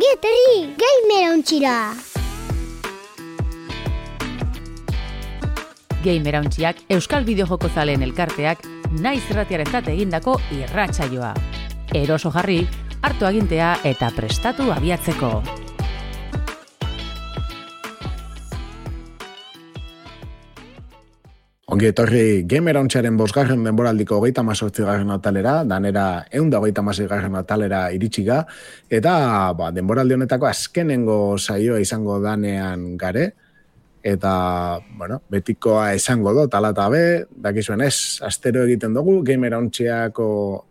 Ongi etorri, Gamerauntxira! Gamerauntxiak Euskal Bideojoko zaleen elkarteak naiz irratiarentzat egindako irratsaioa. Eroso jarri, hartu agintea eta prestatu abiatzeko. Ongi etorri Gamerauntxaren 5. denboraldiko 38. atalera, danera 126. atalera iritsiga, eta denboraldi honetako azkenengo saioa izango danean gare, eta, betikoa esango dut, ala eta be, dakizuen ez, astero egiten dugu, Gamerauntxiako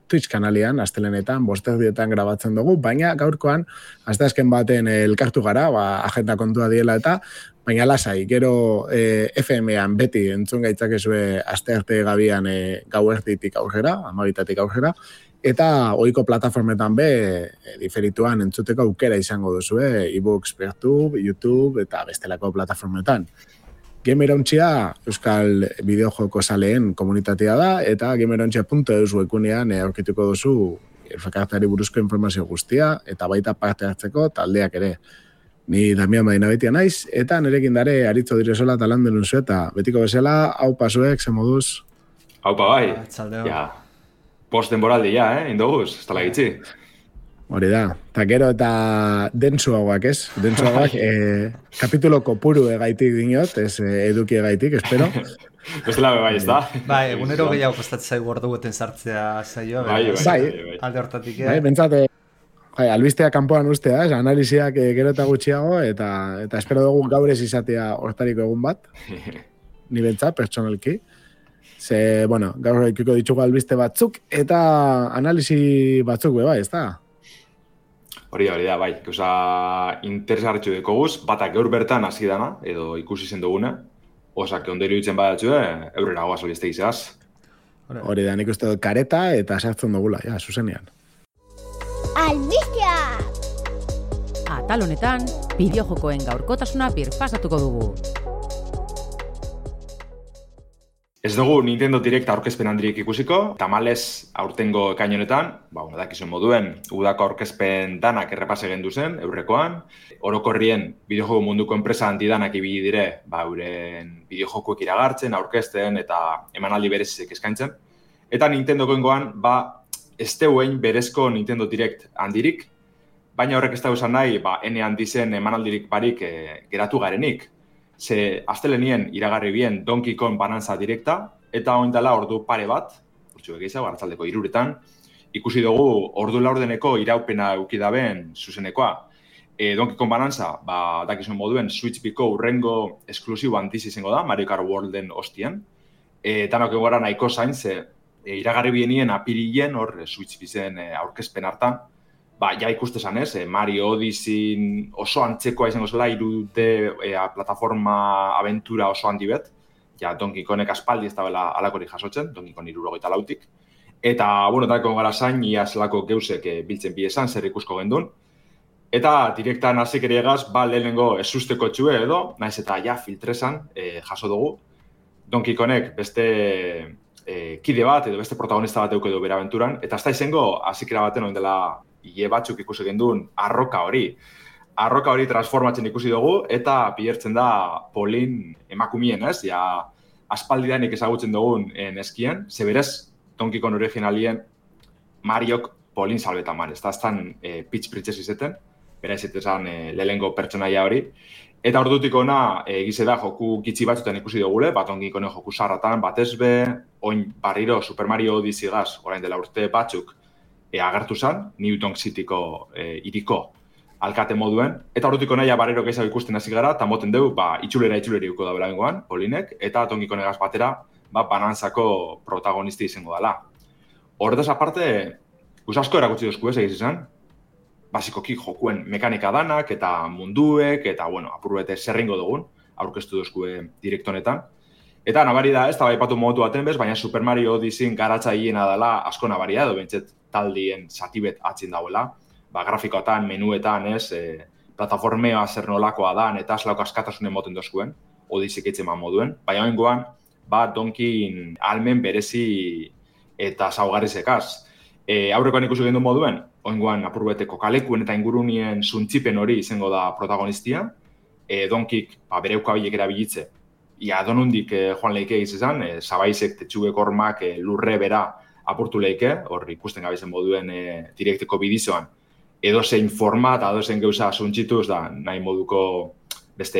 Twitch kanalian, astelenetan, 5 grabatzen dugu, baina gaurkoan, asteazken baten elkartu gara, agenda kontua diela eta, baina lasai, gero FM-an beti entzun gaitzakezue astearte gabian gauerditik aurrera, 12 aurrera, eta ohiko plataformetan diferituan entzuteko aukera izango duzue, ebooks, YouTube eta bestelako plataformetan. Gamerauntxia Euskal Bideojoko zaleen komunitatea da, eta gamerauntxia.eus webgunean aurkituko duzu elkarteari buruzko informazio guztia, eta baita parte hartzeko taldeak ere. Ni Damian Madinabetia naiz, eta nerekin dare Aritzo Diresola talan denunzu, eta betiko bezala, hau pasuek, zen moduz? Haupa bai, ja, post denboraldi indoguz, ez tala gitzi. Hori da, eta gero eta dentsuagoak ez, kapitulo kopuru egaitik dinot, ez eduki egaitik, espero. Bestela bai, ez da? Bai, egunero gehiago kostatzen zaigu ordu guten sartzea saioa. Bai. Alde hortatik, bentsate, albistea kanpoan ustea, analiziak gero eta gutxiago, eta espero dugu gaur ez izatea hortariko egun bat, ni bentsat, pertsonalki. Ze, gaur ikiko ditugu albiste batzuk, eta analizi batzuk bai, ez da? Hori da, bai. Gauza interesgarritxu dekoguz, batak gaur bertan hasi dana, edo ikusi zen duguna, osak ondero ditzen badatxue, eurrera goaz albiste izaz. Hori da, nik uste dut kareta eta sartzen dugula, zuzenean. Albistea! Atal honetan, bideojokoen gaurkotasuna birpasatuko dugu. Ez dugu Nintendo Direct aurkezpen handirik ikusiko, tamalez aurtengo ekain honetan, dakizuen moduen, udako aurkezpen danak errepase gendu zen, eurrekoan, orokorrien bideojoko munduko enpresa handidanak ibili dire, euren bideojokoek iragartzen, aurkezten eta emanaldi berezizik eskaintzen. Eta Nintendokoengoan, ez deuen berezko Nintendo Direct handirik, baina horrek ez da esan nahi, ene handizen emanaldirik barik geratu garenik. Ze astelenien iragarri bien Donkey Kong Bananza Directa, eta oindala ordu pare bat, urtsu egeizago, arratzaldeko 3:00, ikusi dugu ordu laurdeneko iraupena eukidaben zuzenekoa. Donkey Kong Bananza, dakizuen moduen, Switch Biko urrengo esklusibo antiz izango da, Mario Kart Worlden ostien. Tanok egora nahiko zain, ze iragarri bienien apirilen, hor Switch bizen aurkezpen hartan, ja ikustezan ez, Mario Odyssey oso antzekoa izango zela, 3D plataforma aventura oso handi bet, Donkey Kongek aspaldi ez da bela alakori jasotzen, Donkey Kong 74tik. Eta, tako gara zain, ia zelako geusek biltzen biesan, zer ikusko gendun. Eta direktan hasik ere egaz, lehenengo ezusteko txue edo, naiz eta filtrezan jaso dugu. Donkey Kongek beste kide bat edo beste protagonista bat eukedo bera aventuran, eta ez da izango hasikera baten oin dela ie batzuk ikusi genduen arroka hori. Arroka hori transformatzen ikusi dugu, eta bihertzen da Polin emakumien, ez? Aspaldidanik ezagutzen dugun neskien, zeberez, Donkey Kong originalien Mariok Polin salbetan man, ez da aztan Peach Princess izeten, bera izetesan lehengo pertsonaia hori. Eta ordutik ona egize da joku gitxi batzutan ikusi dugule, Donkey Kongen joku sarratan, batezbe, oin barriro Super Mario Odyssey gaz, orain dela urte batzuk, agertu zen, Newton Cityko iriko alkate moduen, eta horretiko nahi barrero gehiago ikusten hasi gara, eta moten dugu, itxuleri uko da belaengoan, Polinek, eta Donkey Kongegaz batera, Bananzako protagonisti izango dela. Horretaz aparte, asko erakutsi duzku ez egiz izan, basikoki jokuen mekanika danak, eta munduek, eta, apurbete zerringo dugun, aurkeztu duzku direktonetan. Eta nabari da, ez da baipatu modu baten bez, baina Super Mario Odyssey garatza hiena dela asko nabari da, edo bentset taldien zatibet atzin dauela, grafikoetan, menuetan, plataformea zer nolakoa da, eta aslauk askatasunen moten dozkuen, Odyssey keitzen moduen, baina oingoan, Donkey almen berezi eta zaugarrizekaz. Aurrekoan ikusi gendu moduen, oingoan apurbeteko kalekuen eta ingurunien zuntzipen hori izango da protagonistia, donkik bere ukabilek erabilitze, donundik joan leike izan, zabaizek tetxuek hormak lurre bera apurtu leike, hor ikusten gabezen moduen direkteko bidizoan, edozein format, edozein gauza zuntzituz da nahi moduko beste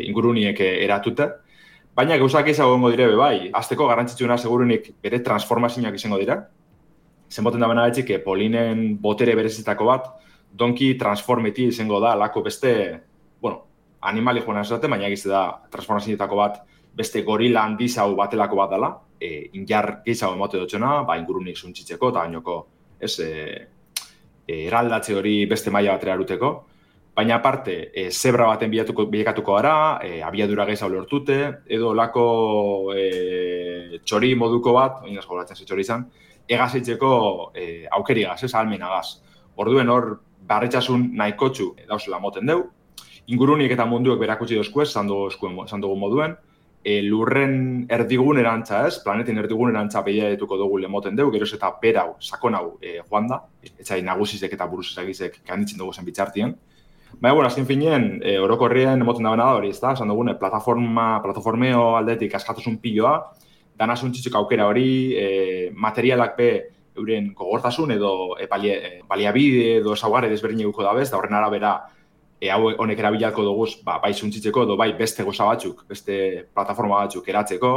inguruniek eratute. Baina gauzak izagongo dire bai, azteko garrantzitsuena segurunik bere transformazioak izango dira. Zenboten da bena betxik, polinen botere berezitako bat, donki transformeti izango da lako beste, animali joan azate, baina egiz da transformazioetako bat beste gorila handizau batelako bat dela, injar gehiago emote dutxena, ingurunik zuntzitzeko eta gainoko eraldatze hori beste maila batera eruteko. Baina aparte, zebra baten bilakatuko gara, abiadura gehiago lortute, edo lako txori moduko bat, oinaz golatzen ze txori izan, egazeitzeko aukerigaz, ahalmenagaz. Orduen hor, barretxasun nahikotxu dauzela moten deu, ingurunik eta munduek berakutsi dozkuez, zan dugu moduen, lurren erdigunerantza planeten erdigunerantza behiaetuko dugu lemoten deu, geroz eta berau, sakon hau joan da, etxai nagusizek eta buruzizagizek kanditzen dugu zen bitxartien. Baina, azken finean, orokorrien emoten da bena da hori, zan dugune, plataformeo aldetik askatuzun piloa, dana zuntzitzik aukera hori, materialak be euren gogortasun edo baliabide edo esaugarri desberdin eguko dabez, da horren arabera hau honek erabilako duguz bai zuntzitzeko edo bai beste goza batzuk, beste plataforma batzuk eratzeko.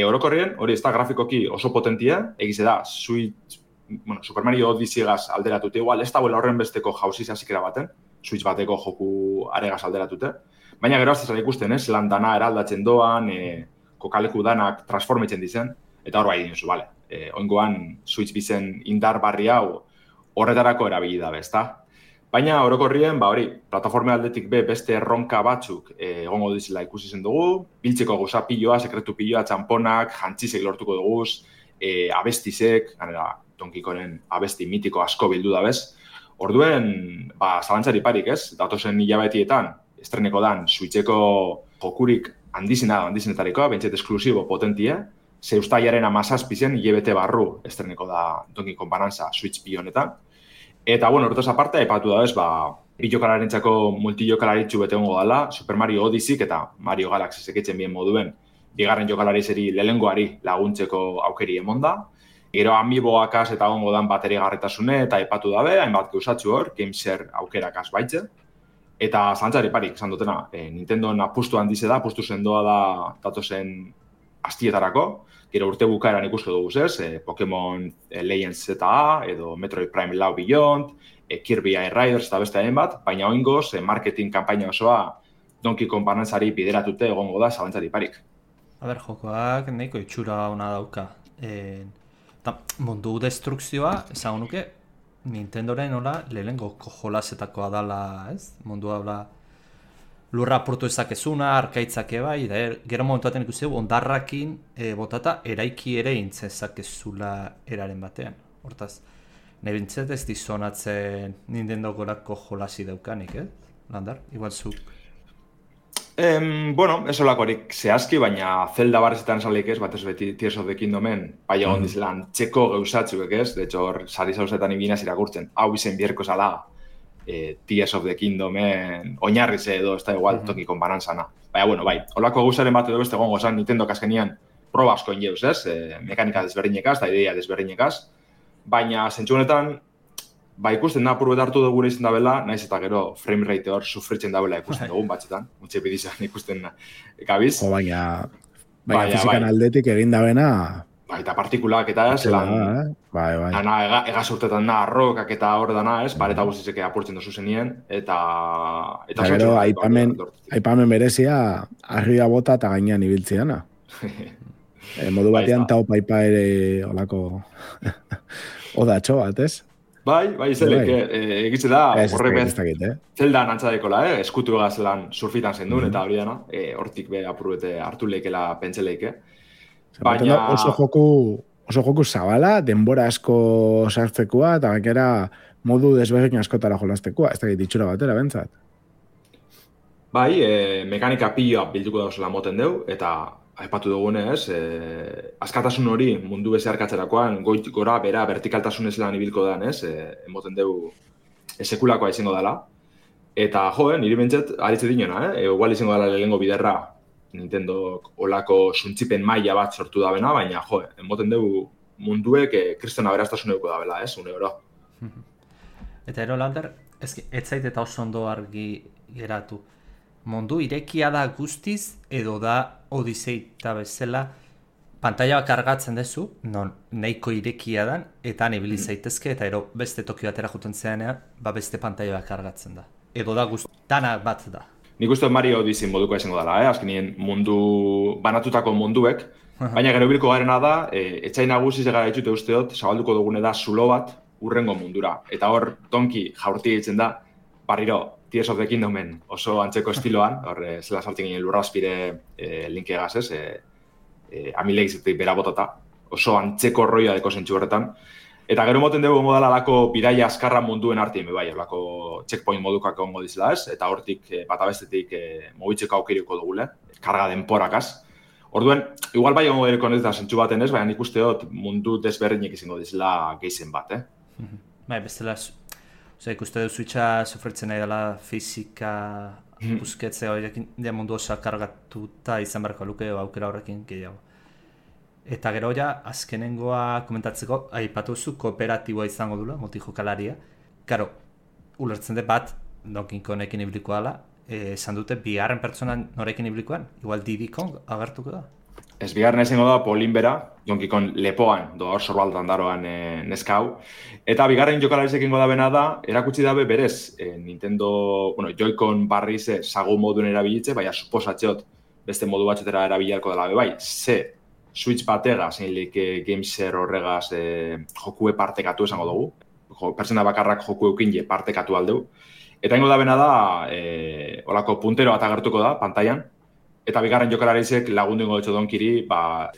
Orokorrien, hori ez da grafikoki oso potentia, egize da, Super Mario Odyssey-gaz alderatute, igual ez da horren besteko jauziz hasikera baten, Switch bateko joku aregaz alderatute. Baina gero aztezara ikusten, lan dana eraldatzen doan, kokaleku danak transformetzen dizen, eta hor bai dinozu, bale. Oingoan Switch bizen indar barri hau horretarako erabili da, ezta? Baina orokorrien, hori, plataforma aldetik beste erronka batzuk egongo dizela ikusi zen dugu, biltzeko gauza piloa, sekretu piloa, txamponak, jantzizek lortuko duguz, abestizek, ganera, Donkikoren abesti mitiko asko bildu da bez. Orduen, zalantzari parik datozen hilabetietan, estreneko dan, Switcheko jokurik handizenetarikoa, bentset esklusibo potentia, ze ustaiaren 17 hilabete barru estreneko da Donkey Kong Bonanza Switch honetan. Eta, horretaz aparte, aipatu da bez, bilokalarentzako multijokalaritxu bete hongo dela, Super Mario Odyssey eta Mario Galaxy seketzen bien moduen, bigarren jokalarizeri lehengoari laguntzeko aukeri emonda. Gero amiiboakaz eta hongo dan bateri garretasune eta aipatu dabe, hainbat geusatzu hor, GameShare aukerakaz baitze. Eta zantzari parik, esan dutena, Nintendoen apustu handize da, apustu sendoa da datozen astietarako. Gero urte bukaeran ikusko dugu Pokemon Legends ZA, edo Metroid Prime Lau Beyond, Kirby Air Riders eta beste hainbat, baina oingoz, marketing kanpaina osoa Donkey Kong Bonanzari bideratute egongo da zalantzari parik. Jokoak nahiko itxura ona dauka. Mundu destrukzioa, esan nuke, Nintendoren lehenengo jolazetakoa dala, mundu daula lurra apurtu ezakezuna, arkaitzake bai, gero momentuaten ikusi ondarrakin botata eraiki ere intzezakezula eraren batean. Hortaz, nahi bintzet ez dizonatzen Nintendo gorako jolasi daukanik, Landar, igual zuk. Ez olakorik zehazki, baina Zelda barrezetan salik batez beti Tears of the Kingdomen, bai egon dizelan txeko gauzatzuek de hecho, sari zauzetan ibinaz irakurtzen, hau izen bierko zala, Tears of the Kingdomen oinarriz edo, ez da igual, Donkey Kong Bonanzana. Baina, holako gauzaren bat edo beste gongo zan Nintendo kaskenean proba asko ingeuz, mekanika desberdinekaz, da idea desberdinekaz, baina zentsu honetan, ikusten da apur hartu dugu izan dabela, naiz eta gero frame rate hor sufritzen dabela ikusten dugun batxetan, mutxe bidizan ikusten gabiz. Baina fizikan aldetik egin dabena... Eta partikulak eta zelan, egaz urtetan da, arrokak eta hor dana, pareta guztizeke apurtzen dozu zenien, eta gero, aipamen berezia, arria bota eta gainean ibiltziana. Modu batean tau paipa ere olako odatxo bat, ez? Bai, zelek, egitze da, horrek zeldan antzadekola, eskutu egaz surfitan zendun, eta hori dana, hortik be apurrete hartu leikela pentseleike. Baina... Oso joku zabala, denbora asko sartzekoa, eta gainera modu desberdin askotara jolaztekoa, ez da ditxura batera, bentsat. Bai, mekanika piloa bilduko dauzela moten deu, eta aipatu dugunez, askatasun hori mundu bezarkatzerakoan, goit gora, bera, vertikaltasun ez lan ibilko dan, emoten dugu sekulakoa izango dela. Eta, niri bentzat, aritze dinona, igual izango dela lehengo biderra, Nintendo olako suntzipen maila bat sortu da bena, baina, emoten dugu munduek kristona beraztasuneuko da bela, une oro. Eta ero, Lander, ez zait eta oso ondo argi geratu. Mundu irekia da guztiz, edo da Odiseita bezala, pantaila kargatzen dezu, non nahiko irekia dan, eta ibili zaitezke, eta ero beste Tokio batera juten zeanean, beste pantaila kargatzen da. Edo da dana bat da. Nik uste Mario Odyssey moduko izango dela, azkenien mundu, banatutako munduek, baina gero bilko garena da, etxai nagusi zegara ditute usteot, zabalduko dugune da zulo bat urrengo mundura. Eta hor, Donkey jaurti egiten da, barriro, Tears of the Kingdomen oso antzeko estiloan, hor, zela saltzen ginen lurra azpire linkegaz, amileik zetik bera botata, oso antzeko roia deko zentsu horretan. Eta gero moten dugu ongo dela lako bidaia azkarra munduen artien, bai, lako checkpoint modukak ongo dizela ez, eta hortik bata bestetik mobitzeko aukiriko dugule, karga denporakaz. Orduen, igual bai ongo dereko ez da zentsu baten ez, baina nik usteot mundu desberdinek izango dizela geizen bat, Bai, bestela, ikuste du Switcha sufritzen nahi dela fizika busketzea horrekin, mundu osa kargatuta izan beharko luke aukera horrekin gehiago. Eta gero ja, azkenengoa komentatzeko, aipatu zu kooperatiboa izango dula, multijokalaria. Karo, ulertzen dut bat, Donkey Kongekin ibiliko dela, esan dute, bigarren pertsonan norekin ibilikoan, igual Diddy Kong agertuko da? Ez bigarren izango da Paulin bera, Donkey Kong lepoan, hor sorbaldan daroan neska hau. Eta bigarren jokalariz ekingo da bena da, erakutsi dabe berez, Nintendo, Joy-Con barriz sagu moduen erabilitze, baina suposatzeot beste modu batxetera erabiliarko dela bai, Switch batega, zeinlik Gameser horregaz jokue partekatu esango dugu. Pertsona bakarrak joku eukin partekatu aldeu. Eta ingo da bena da, olako puntero bat agertuko da, pantailan. Eta bigarren jokalaritzek lagundu ingo dutxo Donkiri,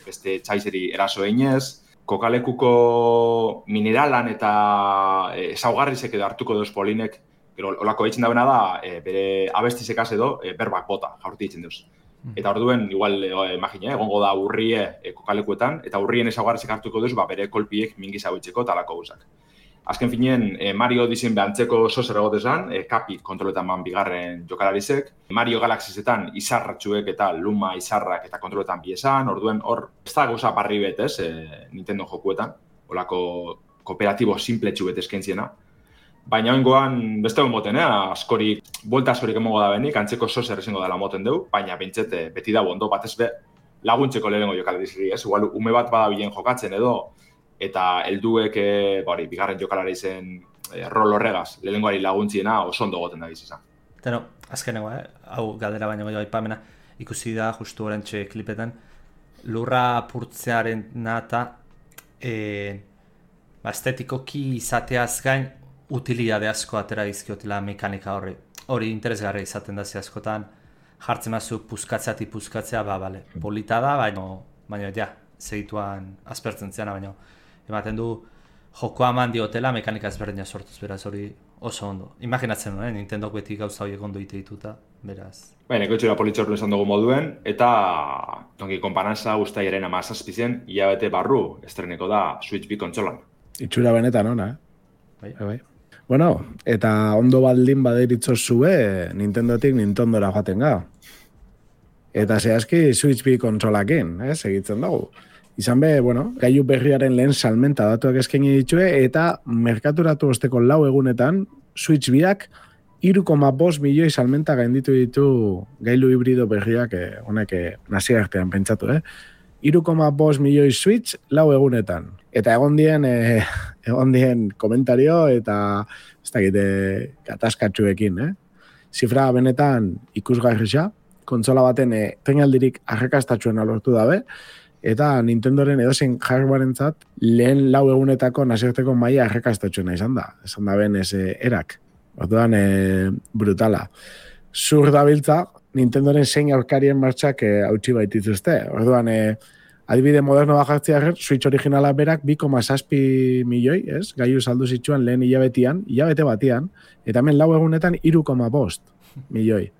beste txaizeri eraso einez, kokalekuko mineralan eta ezaugarrizek edo hartuko deuz Polinek, gero olako eitzen da bena da, bere abestizekaz edo berbak bota, jaurti eitzen deuz. Eta orduen, igual, imagina, egongo da urrie kokalekuetan, eta urrien ezaugarrizek hartuko duz, bere kolpiek mingiz hauitzeko talako guzak. Azken finien, Mario Odyssey behantzeko sozer egotezan, kapi kontroletan man bigarren jokalarizek. Mario Galaxiesetan izarratxuek eta luma izarrak eta kontroletan biesan, orduen hor, ez da gauza barri bet, Nintendo jokuetan, olako kooperatibo simpletxu bet eskaintziena. Baina oingoan beste egon moten, askorik, buelta askorik emongo da benik, antzeko sozer ezingo dela moten deu, baina bentset beti da bondo, batez be laguntzeko lehenengo jokalarizri, igual ume bat badabilen jokatzen edo, eta helduek bigarren jokalari zen rol horregaz, lehenengoari laguntziena oso ondo goten da bizizan. Eta azkenengo, hau galdera baino gehiago aipamena, ikusi da justu orentxe klipetan, lurra apurtzearen nata, estetikoki izateaz gain, utilidade asko atera dizkiotela mekanika horri. Hori interesgarria izaten da askotan, jartzen mazu puzkatzea, bale, polita da, baina ja, segituan aspertzen zeana, baina ematen du jokoa eman diotela mekanika ezberdina sortuz, beraz hori oso ondo. Imaginatzen nuen, Nintendok beti gauza horiek ondo ite dituta, beraz. Baina, ekoitxura politxortu esan dugu moduen, eta Donkey Kong Panasa ustaiaren 17 hilabete barru estreneko da Switch 2 kontsolan. Itxura benetan ona, Bai. Bueno, eta ondo baldin baderitzo zue, Nintendotik Nintendora joaten ga. Eta zehazki Switch 2 kontsolakin, segitzen dugu. Izan be, gailu berriaren lehen salmenta datuak eskaini ditue, eta merkaturatu osteko 4 egunetan, Switch 2ak 3,5 milioi salmenta gainditu ditu gailu hibrido berriak, honek nazia artean pentsatu, 3,5 milioi Switch 4 egunetan. Eta egon dien komentario eta ez dakit gatazkatxuekin, Zifra benetan ikusgarrisa, kontsola baten tenaldirik arrakastatxuen lortu dabe, eta Nintendoren edozein hardwarentzat lehen 4 egunetako nazioarteko maila arrakastatxuena izan da. Esan da ben erak. Orduan brutala. Zur dabiltza, Nintendoren zein aurkarien martxak hautsi baitituzte. Orduan, adibide moderno bajartzea Switch originala berak 2,7 milioi, gailu saldu zituen lehen hilabete batian, eta hemen 4 egunetan 3,5 milioi.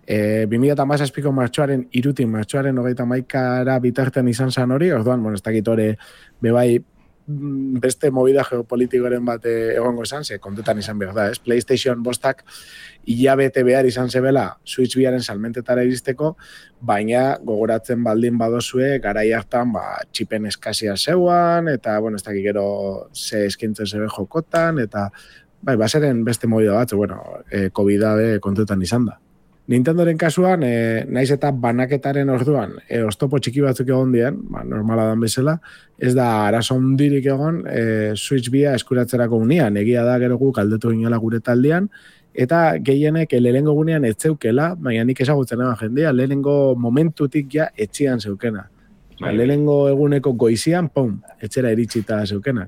2017ko martxoaren 31. bitartean izan zan hori, orduan, bueno, ez dakit hori bebai beste movida geopolitikoren bat egongo izan, ze kontetan izan behar da, ez? PlayStation 5 hilabete behar izan zebela Switch biaren salmentetara iristeko, baina gogoratzen baldin badozue, garai hartan, txipen eskazia zeuan, eta, bueno, ez dakit gero ze eskintzen zebe jokotan, eta, baseren beste movida batzu, bueno, COVID-a kontetan izan da. Nintendoren kasuan, naiz eta banaketaren orduan, oztopo txiki batzuk egon dien, normala dan bezala, ez da arazo hundirik egon Switch bia eskuratzerako unian, egia da gero guk aldetu ginela gure taldean, eta gehienek lehenengo gunean etzeukela, baina nik ezagutzen eban jendea, lehenengo momentutik ja etxian zeukena. Lehenengo eguneko goizian, etxera iritsita zeukena.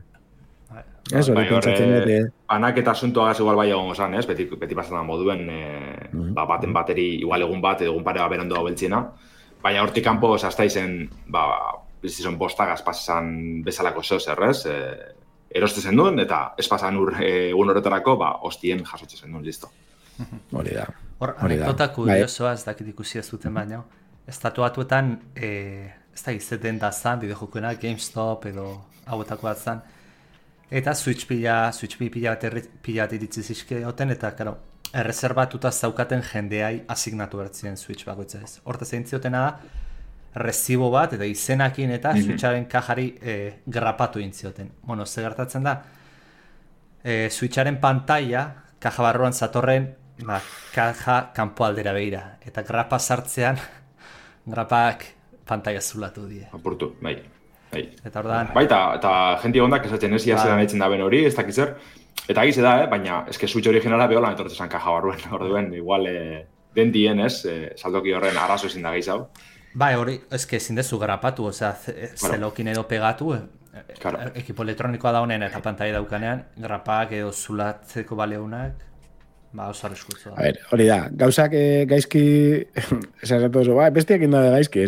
Ez, hori pentsatzen dute. Anak eta asuntuagaz igual bai egon gozan, ez? Beti pasatzen moduen, baten bateri igual egun bat, edo egun pare berondo beltziena. Baina hortik kanpo, hasta izen, bizizon bostagaz pasan bezalako zozer, ez? Eroste zen duen, eta ez pasan egun horretarako, hostien jasotxe zen duen, listo. Hori da. Hor, anekdota kuriosoa, ez dakit ikusi ez duten baina, estatuatuetan, ez da izeten da zan, bideojokoena, GameStop edo hauetako bat zan, eta Switch pila bat iritzi zizkeoten, eta, karo, erreserbatuta zaukaten jendeai asignatu bertzien Switch bakoitza ez. Hortaz egin ziotena da, recibo bat, eta izenakin eta Switcharen kajari grapatu egin zioten. Bueno, ze gertatzen da, Switcharen pantalla, kaja barruan zatorren, kaja kanpo aldera behira. Eta grapa sartzean, grapak pantalla zulatu die. Apurtu, bai. Eta ordan... eta jenti ondak esatzen ez, zelan eitzen da ben hori, ez dakitzer. Eta egize da, baina eske Switch originala beholan etortzen kaja barruen, orduen, igual den dien ez, saldoki horren arazo ezin da gehiago. Bai, hori, eske ezin dezu grapatu, osea, zelokin edo pegatu, ekipo elektronikoa da honen eta pantalla daukanean, grapak edo zulatzeko baleunak, oso arriskutsu da. A ber, hori da, gauzak gaizki, esazatu oso, bestiak indade gaizki,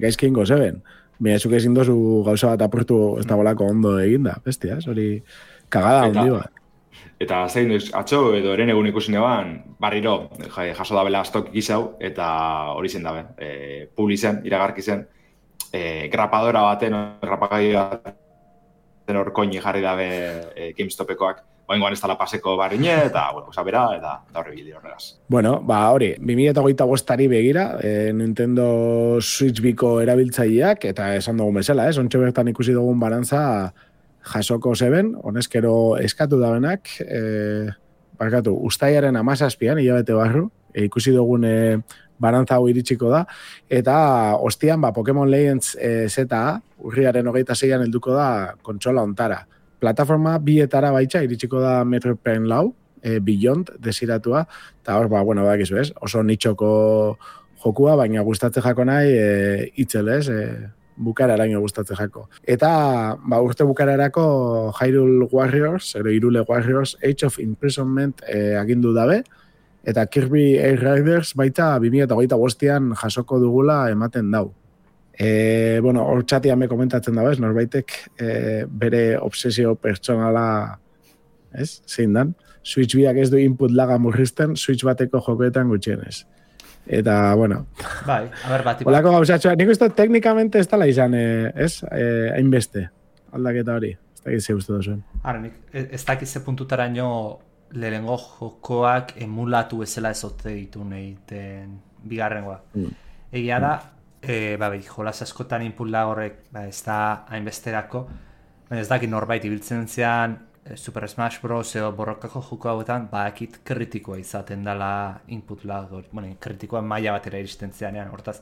gaizki ingo zeben. Baina zuk ezin dozu gauza bat apurtu ez da bolako ondo eginda, bestia, hori kagada hondi bat. Eta zein duz, atxo edo eren egun ikusin eban, barriro, jaso dabela astok gizau, eta hori zen dabe, publi zen, iragarki zen, grapadora baten, grapagai baten orkoini jarri dabe GameStopekoak, oingoan ez dala paseko barriñe, eta, bueno, bera, eta horre bide horregaz. Bueno, hori, 2025 begira, Nintendo Switch biko erabiltzaileak, eta esan dugun bezala, ontsa bertan ikusi dugun barantza jasoko zeben, honezkero eskatu dabenak, ustaiaren 17an, hilabete barru, ikusi dugun barantza hau iritsiko da, eta ostian, Pokemon Legends ZA, urriaren 26an helduko da kontsola ontara. Plataforma bietara baitza, iritsiko da Metroid Prime 4, Beyond desiratua, eta hor, bakizu ez, oso nitxoko jokua, baina gustatze jako nahi itzel ez, bukararaino gustatze jako. Eta urte bukararako Hyrule Warriors, Hyrule Warriors, Age of Imprisonment agindu dabe, eta Kirby Air Riders baita 2025an jasoko dugula ematen dau. Hor txatian me komentatzen dago, norbaitek bere obsesio pertsonala, zein dan, Switch biak ez du input laga murrizten, Switch bateko jokoetan gutxienez. Eta, bai, a ber, bat. Olako gauzatxoa, nik uste teknikamente ez tala izan, hainbeste, aldaketa hori, ez dakit ze uste duzuen. Ara, nik ez dakit ze puntutaraino lehengo jokoak emulatu ezela ezote ditu nahiten bigarrengoa. Egia da, jolas askotan inputla horrek ez da hainbesterako, baina ez dakit norbait ibiltzen zean Super Smash Bros. Edo borrokako joko hauetan, bakit kritikoa izaten dela input lag, kritikoa maila batera iristen zeanean, hortaz,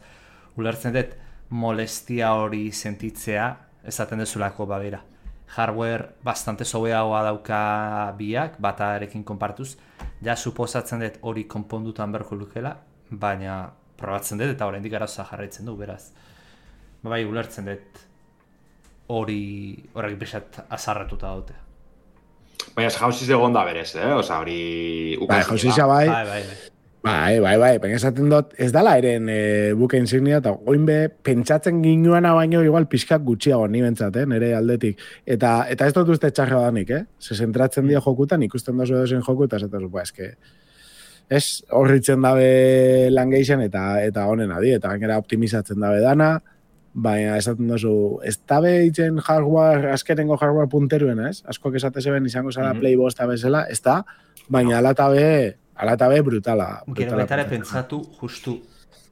ulertzen dut molestia hori sentitzea, esaten dezulako babera. Hardware bastante sobeagoa dauka biak, batarekin konpartuz, ja suposatzen dut hori konpondutan berko lukela, baina probatzen dut eta oraindik arazoa jarraitzen du, beraz. Bai, ulertzen dut horrek pixat azarratuta daute. Baina, jauziz egon da berez, Osa, hori... Jauziza bai. Bai, baina esaten dut, ez dala eren buke insignia, eta oinbe pentsatzen ginuana baino igual pixkak gutxiago ni bentsat, nire aldetik. Eta ez dut uste txarra danik, Se zentratzen dira jokutan, ikusten dozu edozen joku, eta esaten eske... ez horritzen dabe lan geixen eta honen adi, eta gainera optimizatzen dabe dana, baina esaten duzu, ez dabe itzen hardware, azkenengo hardware punteruena, ez? Askoak esate zeben izango zara Play bosta bezala, ez da, baina alatabe brutala. Gero baitare pentsatu, justu,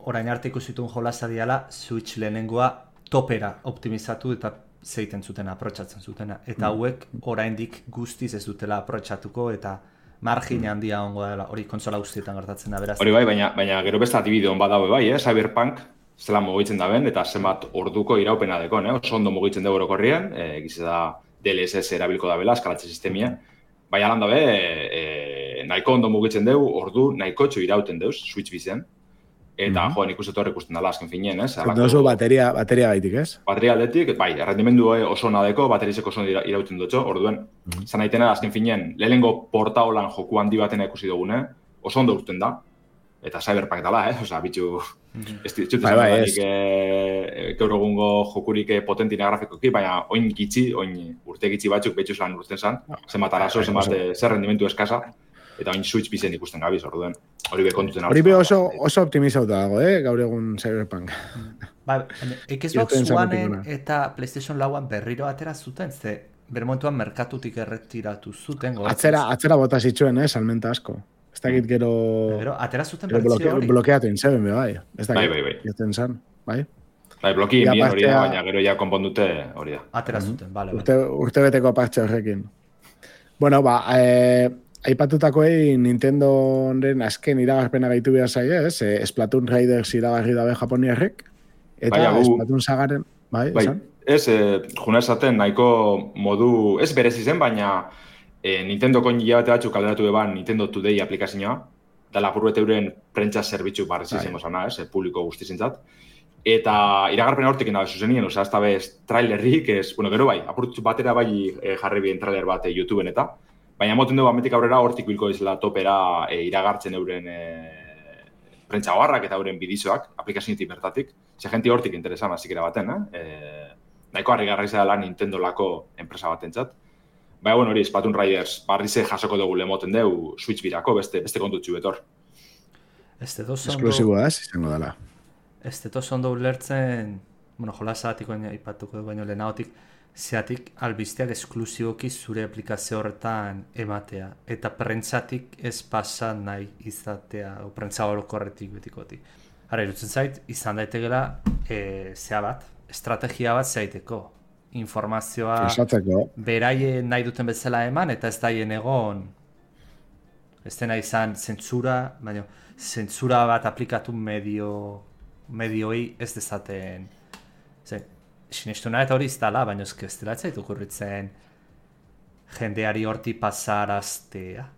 orain arte ikusitun jolasa diala, Switch lehenengoa topera optimizatu eta zeiten zuten, aprotxatzen zutena. Eta hauek oraindik guztiz ez dutela aprotxatuko eta margin handia ongo dela, hori kontsola guztietan gertatzen da, beraz. Hori bai, baina gero beste adibide hon badaue bai, Cyberpunk zela mugitzen da ben, eta zenbat orduko iraupena dekon, oso ondo mugitzen dugu orokorrien, egize da DLSS erabilko da bela, eskalatze sistemia, baina lan dabe, nahiko ondo mugitzen dugu, ordu nahiko txo irauten deuz, Switch bizen, eta joan ikusten dala azken finien, ez? Dozu bateria gaitik, ez? Bateria aldetik, bai, errendimendu oso nadeko, baterizeko oso irauten dutxo, orduen, zan aitena azken finien, lehenengo porta holan joku handi batena ikusi dugune, oso ondo urten da, eta Cyberpunk dala, Osa, bitxu, ez ditut esan danik gaur egungo jokurik potentina grafikoki, baina oin urte gitxi batzuk betxuz lan urten zan, zenbat arazo, zenbat zer rendimendu eskasa, eta oin Switch bizen ikusten gabiz, orduen, hori be kontuten hori be oso optimizauta dago, gaur egun Cyberpunk. Ba, Xbox Oneen eta PlayStation Lauan berriro atera zuten, ze bermontuan merkatutik erretiratu zuten. Atzera bota zituen, salmenta asko. Ez dakit gero... Pero atera zuten bertzio hori. Blokeatu inzeben, bai. Bai. Jaten zan, bai. Bai, bloki bien hori da, baina gero ja konpondute hori da. Atera zuten, bale. Urte beteko partxe horrekin. Bueno, aipatutakoei Nintendoren azken iragarpena gaitu behar zaie, Splatoon Raiders iragarri dabe japoniarrek, eta Splatoon sagaren, bai, esan? Ez, juna esaten nahiko modu, ez berezi zen, baina Nintendoko hilabete batzuk alderatu eban Nintendo Today aplikazioa, da lapurret euren prentsa zerbitzu barrezi izango zana, publiko guztizentzat. Eta iragarpena hortik nabe zuzenien, ez da bez trailerrik, gero bai, apurtzu batera bai jarri bien trailer bat YouTubeen eta, baina moten dugu ametik aurrera hortik bilko izela topera iragartzen euren prentsa barrak eta euren bidizoak, aplikazioetik bertatik, ze jenti hortik interesan azikera baten, nahiko harrigarra izela Nintendo lako enpresa batentzat. Baina, hori, Splatoon Riders barrize jasoko dugu lemoten dugu Switch birako, beste kontutxu betor. Esklusiboa izango dela. Ez detoz ondo ulertzen, jolasatik aipatuko du, baina lehenagotik, zeatik albizteak esklusiboki zure aplikazio horretan ematea. Eta prentsatik ez pasa nahi izatea, o prentsa orokorretik betikotik. Hara, irutzen zait, izan daitekela, zea bat, estrategia bat zaiteko. Informazioa beraien nahi duten bezala eman, eta ez daien egon, ez dena izan zentsura, baina zentsura bat aplikatu medioi ez dezaten. Sinestu nahi eta hori iztala, baina ez dela ez zaitu kurritzen jendeari horti pasaraztea.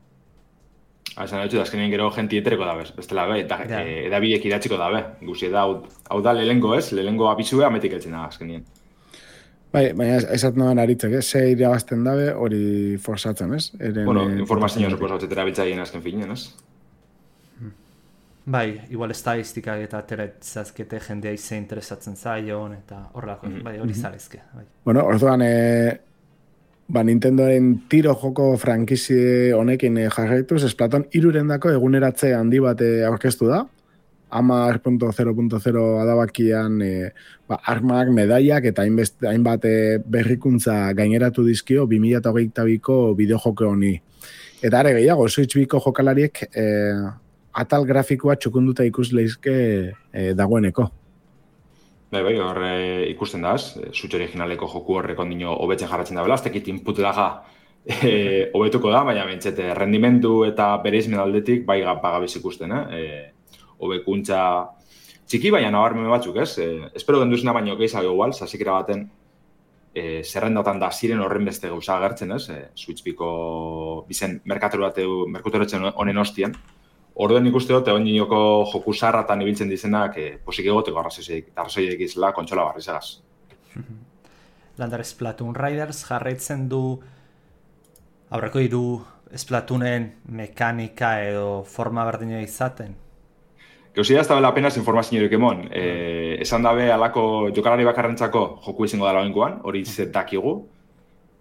Esan dut, azkenean gero jenti etereko dabe, bestela be, edabiek idatziko dabe. Guzi da, hau da lehengo abizue ametik eltzen da azkenean. Bai, baina esat noan aritzek, ze irabazten dabe hori forzatzen, ez? Informazioa suposatzetera biltzaien azken finean, ez? Bai, igual estadistikak eta ateratzazkete jendea ize interesatzen zaion, eta horrelako, bai, hori zarezke. Bueno, orduan, Nintendoren tiro joko frankizie honekin jarraituz, Splatoon 3 eguneratze handi bat aurkeztu da, 10.0.0 adabakian armak, medaiak eta hainbat berrikuntza gaineratu dizkio 2022ko bideojoko honi. Eta are gehiago, Switch biko jokalariek atal grafikoa txukunduta ikus leizke dagoeneko. Bai, hor ikusten da, Switch originaleko joku horrek ondino hobetzen jarratzen da bela, ez tekit input laga hobetuko da, baina bentsete rendimendu eta bereizmen aldetik bai pagabiz ikusten, hobekuntza txiki, baina nabarmen batzuk, ez? Espero genduzena baino gehiago igual, zasikera baten zerrendatan da ziren horren beste gauza agertzen, ez? Switch biko bizen merkaturetzen honen ostian. Orduen ikuste dut, egon nioko joku zarratan ibiltzen dizenak posik egoteko arrazoiek izela kontsola barrizagaz. Landar Splatoon Riders jarraitzen du aurreko 3 Splatoonen mekanika edo forma berdina izaten. Gauzia ez da bela apenas informaziorik emon. Esan dabe alako jokalari bakarrentzako joku izango dela oinkoan, hori dakigu.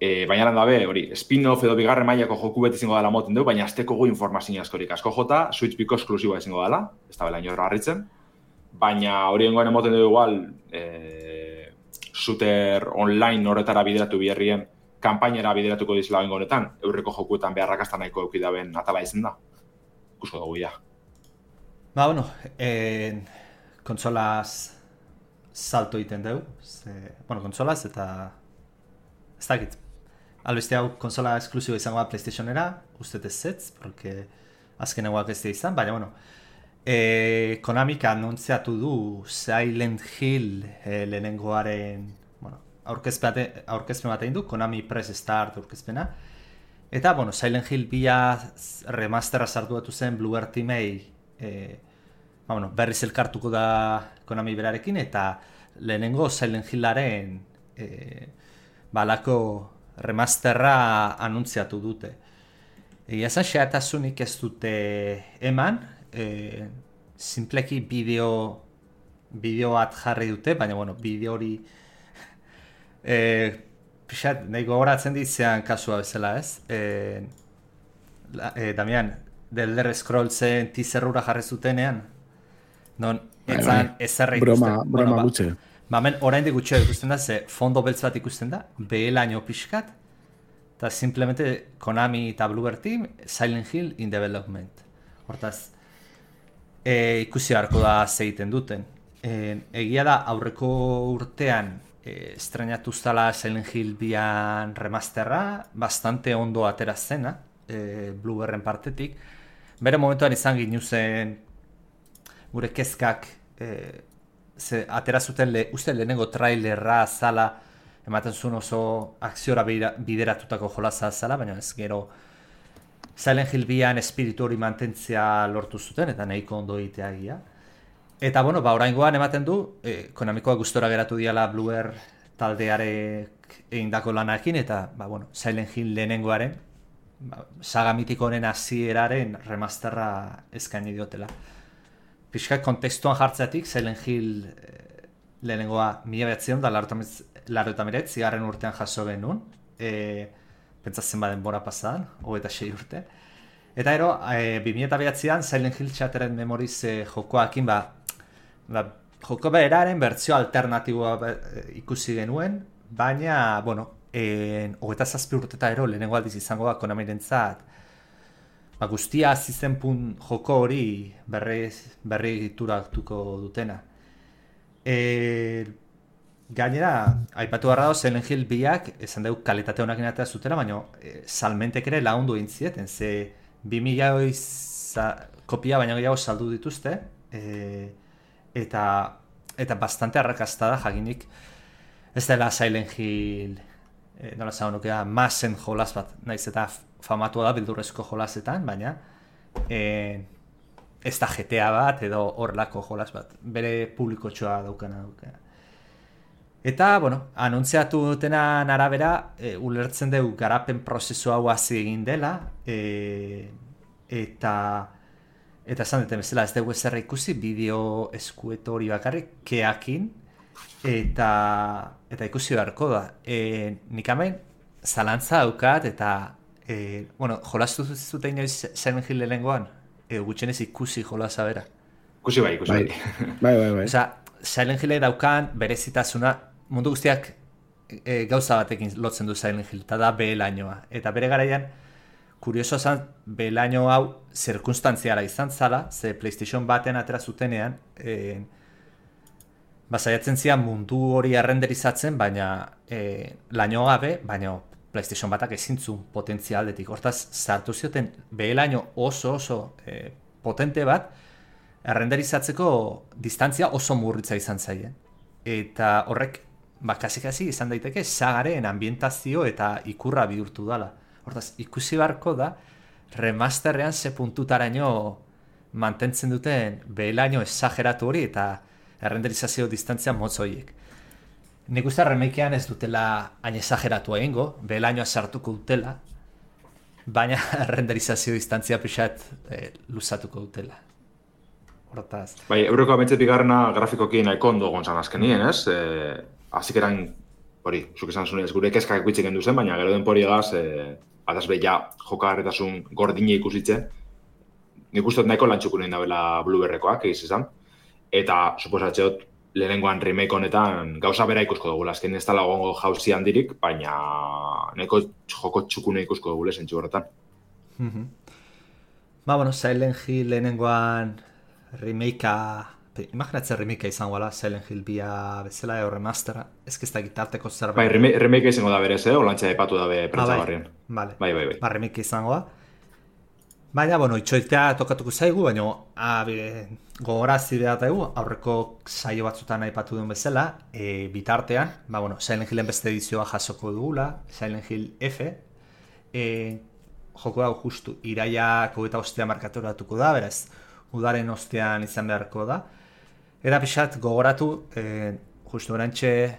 Baina dabe, hori, spin-off edo bigarren mailako joku beti izango dela moten dugu, baina azteko gu informazio askorik asko jota, Switch Biko esklusiboa izango dela, ez da bela inorra harritzen, baina hori engoen emoten dugu igual, shooter online horretara bideratu biherrien, kanpainera bideratuko dizela bengo honetan, eurreko jokuetan beharrakazta nahiko eukidaben atala izen da. Ikusko dugu, ja. Ba, bueno, kontsolaz salto egiten dugu, kontsolaz eta ez dakit. Albeste hau konsola esklusibo izango da PlayStationera, ustez ez, porque azkenekoak ez da izan, baina, Konamik anuntziatu du Silent Hill lehenengoaren aurkezpen bat egin du, Konami Press Start aurkezpena. Eta, Silent Hill 2 remasterra sartu batu zen Bluebird Teamei berriz elkartuko da Konami berarekin, eta lehenengo Silent Hillaren balako remasterra anuntziatu dute. Egia esan xehatasunik ez dute eman, simpleki bideo bat jarri dute, baina bideo hori pixat, nahi gogoratzen ditzean kasua bezala, ez? Damian, The Elder Scrollsen teaserrura jarri zutenean, non etzan ezerra ikusten. Broma gutxe. Hemen oraindik gutxea ikusten da, ze fondo beltz bat ikusten da, behelaino pixkat, eta simplemente Konami eta Bluebird Team, Silent Hill in development. Hortaz, ikusi beharko da zeiten duten. Egia da, aurreko urtean estrenatu zala Silent Hill 2 remasterra, bastante ondo atera zena, Bluebirdren partetik. Bere momentuan izan ginuzen gure kezkak, atera zuten uste lehenengo trailerra zala, ematen zuen oso akziora bideratutako jolaza zala, baina ez gero Silent Hill 2 espiritu hori mantentzea lortu zuten, eta nahiko ondo egitea egia. Eta, oraingoan ematen du, Konamikoa gustora geratu diala Bluebird taldearek egindako lanarekin, eta, Silent Hill lehenengoaren, saga mitiko honen hasieraren remasterra eskaini diotela. Pixkat kontekstuan jartzeatik, Silent Hill lehenengoa 1989 zigarren urtean jaso genuen, pentsatzen baden bora pasadan, 26 urte. Eta ero, 2009an Silent Hill Shattered Memories jokoakin, joko beraren bertzio alternatiboa ikusi genuen, baina, 27 urteta ero lehenengo aldiz izango da Konamirentzat, guztia azizen joko hori berri egituratuko dutena. Gainera, aipatu barra dago, Silent Hill 2ak, esan dugu kalitate honak inatea zutela, baina salmentek ere lagundu egin zieten, ze 2000 kopia baina gehiago saldu dituzte, eta bastante arrakasta da jakinik ez dela Silent Hill, nola zago nukea, masen jolas bat, naiz eta famatua da bildurrezko jolasetan, baina ez da GTA bat edo horrelako jolas bat, bere publikotxoa daukana. Eta, anuntziatu dutenan arabera, ulertzen dugu garapen prozesu hau hasi egin dela, eta esan duten bezala ez dugu ezerra ikusi, bideo eskueto hori bakarrik, keakin, eta ikusi beharko da. Nik hemen zalantza daukat, eta jolastu zuten inoiz Silent Hill lehenengoan, gutxenez ikusi jolasa bera. Ikusi bai. Bai. Osa, Silent Hill daukan berezitasuna, mundu guztiak gauza batekin lotzen du Silent Hill, eta da behelainoa. Eta bere garaian, kurioso zen, behelaino hau zirkunstantziara izan zala, ze PlayStation baten atera zutenean, saiatzen zian mundu hori errenderizatzen, baina laino gabe, baina PlayStation batak ezintzun potentzia aldetik. Hortaz, sartu zioten behelaino oso potente bat, errenderizatzeko distantzia oso murritza izan zaien. Eta horrek, kasi izan daiteke sagaren ambientazio eta ikurra bihurtu dala. Hortaz, ikusi beharko da, remasterrean ze puntutaraino mantentzen duten behelaino esageratu hori eta errenderizazio distantzia motz horiek. Nik uste remakean ez dutela hain esageratua egingo, behelainoa sartuko dutela, baina errenderizazio distantzia pixat luzatuko dutela. Hortaz. Bai, eureko ametzetik garrena grafikoki nahiko ondo gontzan azkenien, ez? Azikeran hori, zuk esan zunez, gure kezkak ikuitzen gendu zen, baina gero denporiagaz, adazbe ja jokagarritasun gordine ikusitze, nik uste nahiko lantxuko nahi dabela Blueberrekoak egiz izan, eta suposatzeot lehenengoan remake honetan gauza bera ikusko dugula, azken ez dala gongo jauzi handirik, baina nahiko joko txukune ikusko dugule zentzu horretan. Silent Hill lehenengoan remakea, imaginatzen remakea izango ala, Silent Hill bia bezala edo remastera, ez da gitarteko zerbait. Bai, remakea izango da berez, olantza epatu dabe prentzagarrien. Bai. Remakea izango da. Baina, itxoitea tokatuko zaigu, baina gogorazi behar daigu, aurreko saio batzutan aipatu duen bezala, bitartean, Silent Hillen beste edizioa jasoko dugula, Silent Hill F, joko hau justu iraiak 25 markaturatuko da, beraz, udaren ostean izan beharko da. Eta pixat gogoratu, justu orantxe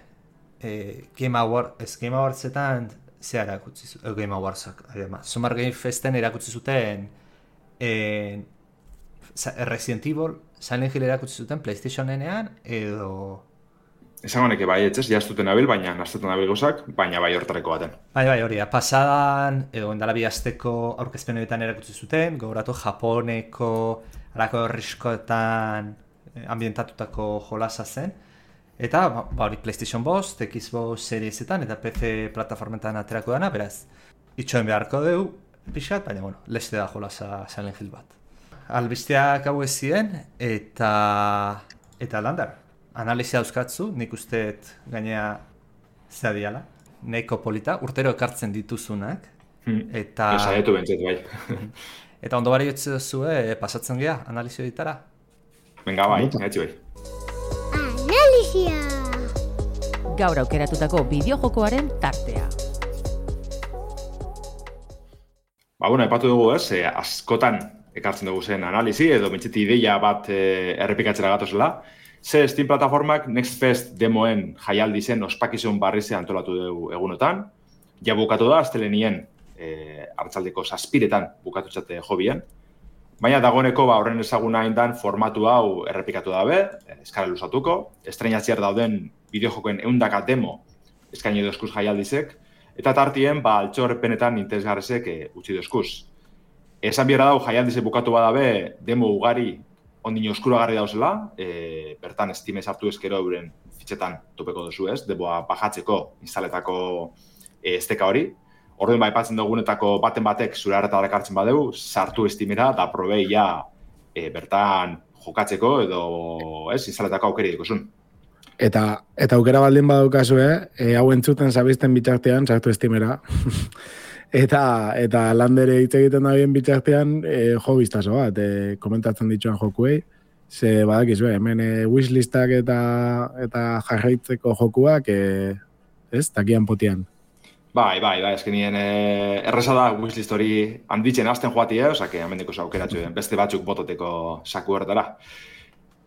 Game Awardsetan zea erakutsi zuten, Game Awardsak, Summer Game Festen erakutsi zuten Resident Evil, Silent Hill erakutsi zuten PlayStation-enean edo... Esan honeke bai, etxez, jaztuten abil, baina naztetan abil gozak, baina bai hortareko baten. Bai, hori, pasadan, edo endala bi asteko aurkezpen horietan erakutsi zuten, gogoratu Japoneko, alako herriskoetan ambientatutako jolasa zen, eta hori PlayStation 5, Xbox Seriesetan eta PC plataformetan aterako dana, beraz, itxoen beharko dugu, pixat, baina, leste da jolasa Silent Hill bat. Albisteak hau ez ziren, eta landar. Analizia dauzkatzu, nik usteet gainea zea diala, nahiko polita, urtero ekartzen dituzunak, eta... Esaietu bentzet, bai. Eta ondo bari jotze duzue, pasatzen gea, analizio ditara? Venga, bai, gaitzi bai. Analizia! Gaur aukeratutako bideojokoaren tartea. Epatu dugu ez, askotan ekartzen dugu zen analizi, edo bentseti ideia bat errepikatzera gatozela. Steam plataformak Next Fest demoen jaialdi zen ospakizun barrize antolatu dugu egunotan. Ja bukatu da, astelenien hartzaldeko 7:00 bukatutzate jobien. Baina dagoeneko horren ezaguna indan formatu hau errepikatu dabe, eskara luzatuko. Estreinatziar dauden bideojokoen 100 demo eskaini dozkuz jaialdizek. Eta tartien, altxorpenetan interesgarrezek utzi dozkuz. Esan biera dau jaialdizek bukatu badabe demo ugari ondino oskuragarri dauzela, bertan Steam sartu ezkero euren fitxetan topeko duzu ez, deboa bajatzeko instaletako esteka hori. Orduen aipatzen dugunetako baten batek zure harretara ekartzen badeu, sartu Steamera eta probeia bertan jokatzeko edo instaletako aukeri dikosun. Eta aukera baldin badaukazu, hau entzuten zabizten bitartean, sartu Steamera. Eta landere hitz egiten da bien bitartean jo biztazo bat, komentatzen dituan jokuei. Ze badakizu, hemen wishlistak eta jarraitzeko jokuak, takian potian. Bai, eskenien erresa da wishlist hori handitzen hasten joati, osake amendeko aukeratxo beste batzuk bototeko saku horretara.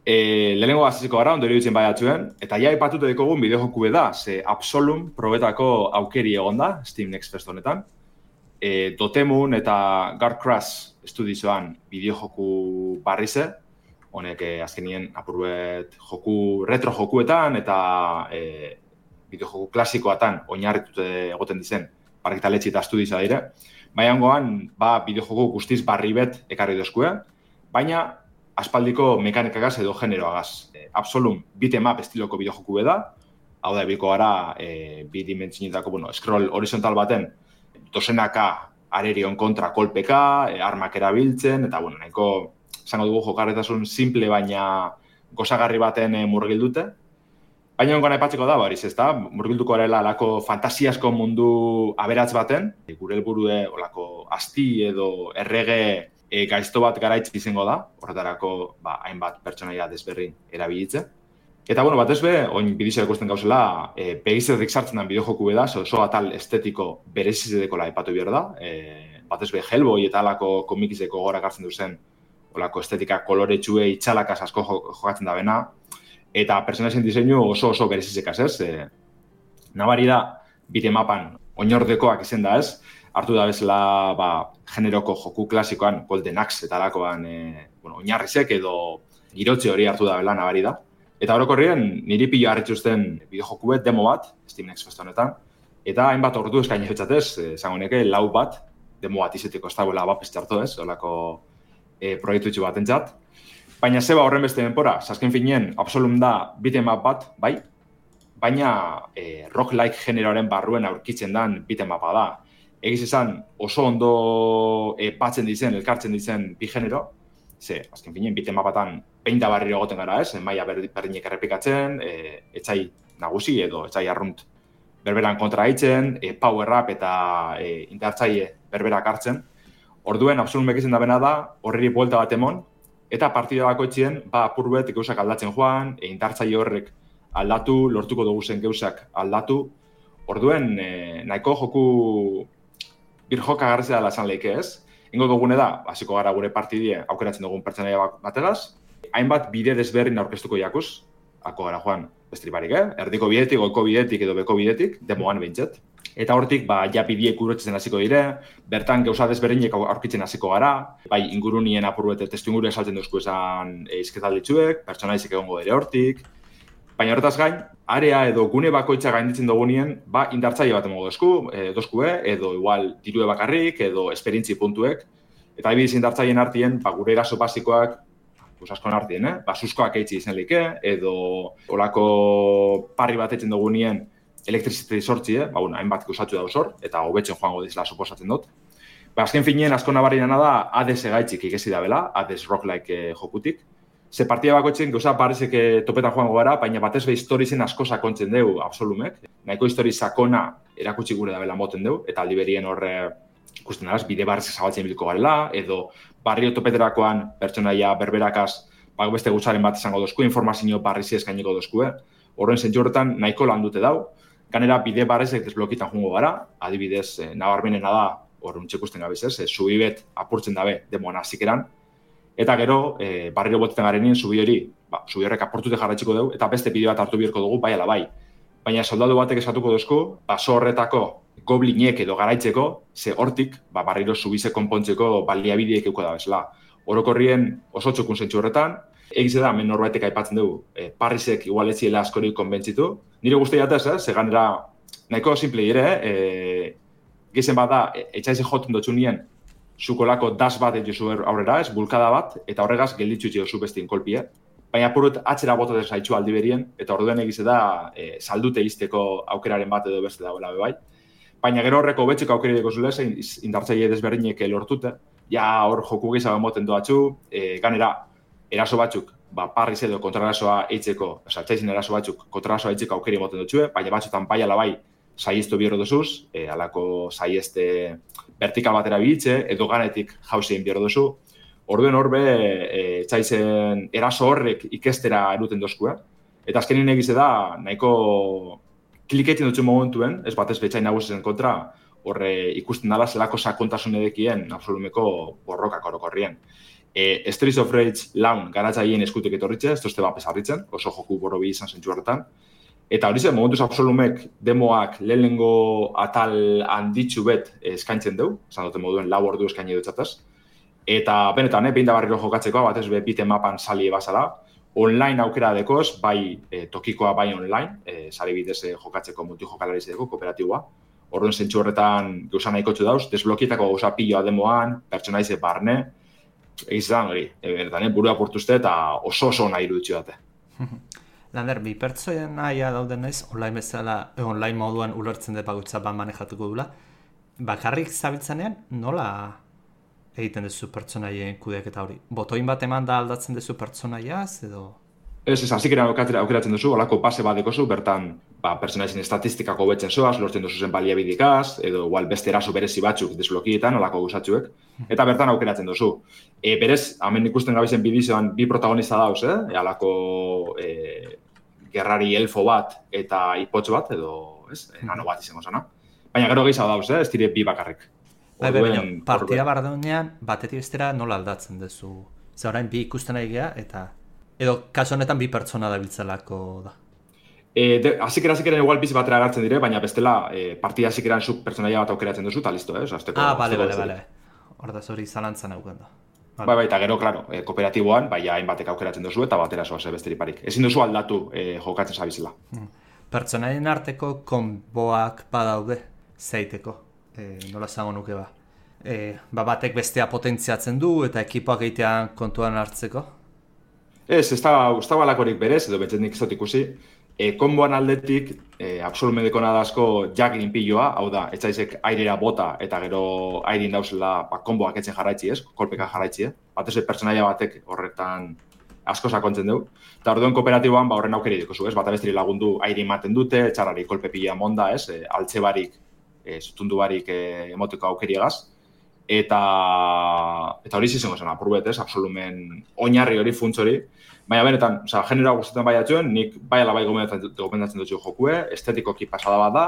Lehenengo aziziko gara, ondo iruditzen baiatzuen, eta ja ipatute dikogun bideojoku da, ze Absolum probetako aukeri egon da, Steam Next Fest honetan. Dotemu eta Guardcrash estudioan bideojoku barrize, honek azkenien apurbet retro jokuetan eta bideojoku klasikoatan oinarritute egoten dizen parkitaletxe eta estudioa dire. Baiangoan, bideojoku guztiz barri bet ekarri dozkue, baina aspaldiko mekanikagaz edo generoagaz. Absolum beat'em-up estiloko bideojoku da, hau da ebiko gara bidimentzinetako, scroll horizontal baten, dozenaka arerion kontra kolpeka, armak erabiltzen, eta nahiko zango dugu jokarretasun simple baina gozagarri baten murgildute. Baina ongoan aipatzeko da, bariz ez da, murgilduko arela alako fantasiasko mundu aberatz baten, gure helburue olako asti edo errege gaizto bat garaitz izango da, horretarako hainbat pertsonaia desberrin erabilitze. Eta, batez be, oin bidizia ikusten gauzela, begizetik sartzen den bideojoku da, oso atal estetiko berezizedekola aipatu behar da. Batez be, Hellboy eta alako komikizeko gora hartzen duzen, olako estetika koloretxue itxalakaz asko jokatzen da bena, eta personazen diseinu oso berezizekaz, ez? Nabari da, beat'em-upan oinordekoak izen da, ez? Hartu da bezala, generoko joku klasikoan, Golden Axe eta alakoan oinarrizek edo girotze hori hartu da bela nabari da. Eta orokorrien niri pilo harrituzten bideojokuet demo bat, Steam Next Fest honetan, eta hainbat ordu eskaini betxatez, esango neke, 4 bat, demo bat izeteko ez dagoela bapes txarto ez, olako proiektutxu bat entzat. Baina zeba horren beste denpora, azken finean, Absolum da beat'em up bat, bai, baina rock-like generoaren barruen aurkitzen dan beat'em upa da. Egiz esan oso ondo batzen dizen, elkartzen dizen bi genero, ze, azken finean, beat'em upatan behin da barriro egoten gara ez, maila berdinek errepikatzen, etxai nagusi edo etxai arrunt berberan kontra haitzen, power-up eta indartzaile berberak hartzen. Orduen, Absolumek izan da bena da, horreri buelta bat emon, eta partida bakoitzien, apurbet gauzak aldatzen joan, indartzaile horrek aldatu, lortuko dugu zen gauzak aldatu. Orduen, nahiko joku birjoka garrizea dela esan lehike ez. Ingo dugune da, hasiko gara gure partidie aukeratzen dugun pertsonaia bategaz, hainbat bide desberdin aurkeztuko jakuz, hako gara joan bestri barik, erdiko bidetik, goiko bidetik edo beko bidetik, demoan behintzet. Eta hortik, ja bidiek urotzen hasiko dire, bertan gauza desberdinek aurkitzen hasiko gara, bai ingurunien apurbete testu inguru esaltzen duzku esan izketalditzuek, pertsonaizik egongo dire hortik. Baina horretaz gain, area edo gune bakoitza gainditzen dugunien, indartzaile bat emongo dozkue, edo igual dirue bakarrik, edo esperientzi puntuek. Eta adibidez indartzaileen artien, gure eraso basikoak, askon artien, suskoak eitzi izan lehike, edo olako parri bat etzen dugunien elektriziteti sortzi, hainbat gauzatzu dauz hor, eta hobetzen joango dizela suposatzen dut. Azken finean, asko nabarriena da, Hades egaitzik ikesi da bela, Hades rock-like jokutik. Ze partida bakoitzen gauza parezek topetan joango gara, baina batez be historizen asko sakontzen deu Absolumek. Nahiko histori sakona erakutsi gure da bela moten deu, eta aldi berien horre ikusten daraz, bide barrezek zabaltzen biliko garela, edo barrio topeterakoan pertsonaia berberakaz beste gutzaren bat izango dozku, informazio barrizi eskainiko dozku. Horren zentzu horretan nahiko lan dute dau. Ganera bide barrezek desblokitan joango gara, adibidez nabarmenena da, horren txekusten gabiz ez, subibet apurtzen dabe demoan hasikeran. Eta gero, barriro botetan garenien zubi hori, zubi horrek aportute jarraitxiko dugu, eta beste bideo bat hartu biherko dugu, bai ala bai. Baina soldadu batek esatuko duzku, baso horretako goblinek edo garaitzeko, ze hortik, barriro zubize konpontzeko baliabideek euko da bezala. Orokorrien oso txukun zentzu horretan, egize da, hemen norbaitek aipatzen dugu, Parrisek igual etziela askorik konbentzitu. Nire guzti jatez, ze ganera nahiko simple dire, gizen bat da, etxaize joten dutxunien, zukolako das bat jozu aurrera ez, bulkada bat, eta horregaz gelditzu jozu bestien kolpie. Baina apurut atzera botatzen zaitxu aldi berien, eta orduen egize da, saldute izteko aukeraren bat edo beste dagoela bai. Baina gero horreko betzeko aukeri deko zule, indartzaile desberdinek lortute, ja hor joku gehiago moten doatxu, ganera, eraso batzuk, Parris edo kontrarasoa eitzeko, txaizin eraso batzuk kontrarasoa eitzeko aukeri moten dutxue, baina batzutan bai ala bai saiestu bihorro duzuz, alako saieste vertikal batera bihitze, edo ganetik jauzein bihorro duzu. Orduen horbe, txaizen eraso horrek ikestera eruten dozku, Eta azkenin egize da, nahiko kliketin dutxen momentuen, ez batez betxain nagusizen kontra, horre ikusten dala zelako sakontasun edekien Absolumeko borrokak orokorrien. Streets of Rage laun garatzaien eskutik etorritxe, ez tozte bapes harritzen, oso joku borrobi izan zentzu horretan. Eta hori zen, momentuz Absolumek demoak lehenengo atal handitzu bet eskaintzen deu, esan duten moduen 4 ordu eskaini dutxataz. Eta benetan, behin da barriro jokatzeko, batez beat'em upan sali ebazala, online aukera dekoz, bai tokikoa bai online, sari bidez jokatzeko multijokalaritzeko kooperatiboa. Orduan zentzu horretan gauza nahikotxu dauz, desblokietako gauza piloa demoan, pertsonaize barne, egizan hori, burua portuzte eta oso nahi iruditzu dute. Lander, bi pertsonaia dauden naiz, online bezala, online moduan ulertzen dut bagutza ban manejatuko dula. Bakarrik zabiltzanean, nola egiten duzu pertsonaien kudeaketa hori? Botoin bat eman da aldatzen duzu pertsonaiaz, edo? Ez, hasikeran aukeratzen duzu, olako base bat dekozu, bertan pertsonaizien estatistikako betzen zoaz, lortzen duzu zen baliabidikaz, edo igual beste eraso berezi batzuk desblokietan, olako guzatzuek, eta bertan aukeratzen duzu. Berez, hemen ikusten gabizen bidizoan bi protagonista dauz, alako gerrari elfo bat eta ipotx bat, edo nano bat izango zana. Baina gero gehiago dauz, ez dire bi bakarrik. Baina, partida bardenean, batetik bestera nola aldatzen duzu? Zer orain bi ikusten ari geha, eta edo kasu honetan bi pertsona dabiltzelako da? Hasikeran igual bizi batera agartzen dire, baina bestela partida hasikeran zuk pertsonaia bat aukeratzen duzu, eta listo, bale. Hordaz hori zalantzan euken da. Bai, eta gero, klaro, kooperatiboan, bai, hainbatek aukeratzen duzu eta batera zoaz besterik parik. Ezin duzu aldatu jokatzen zabizela. Pertsonaien arteko konboak badaude zeiteko, nola zango nuke ba. Batek bestea potentziatzen du eta ekipoak egitean kontuan hartzeko? Ez da balakorik berez, edo betzen nik ez dut ikusi. Konboan aldetik, absolumedeko nadazko jaglin piloa, hau da, etzaizek airera bota eta gero airin dauzela konboak etzen jarraitzi ez, kolpeka jarraitzi, Batez pertsonaia batek horretan asko sakontzen dugu. Eta orduan kooperatiboan horren aukeri dikozu, ez? Bata besteri lagundu airi ematen dute, txarrari kolpe pila monda, ez? Altze barik, zutundu barik emoteko aukeriagaz. Eta hori zizango zen apurbet, ez? Absolumen oinarri hori, funtz hori. Baina benetan, genera guztetan baiatuen, nik bai ala bai gomendatzen dut jokue, estetikoki pasada bat da,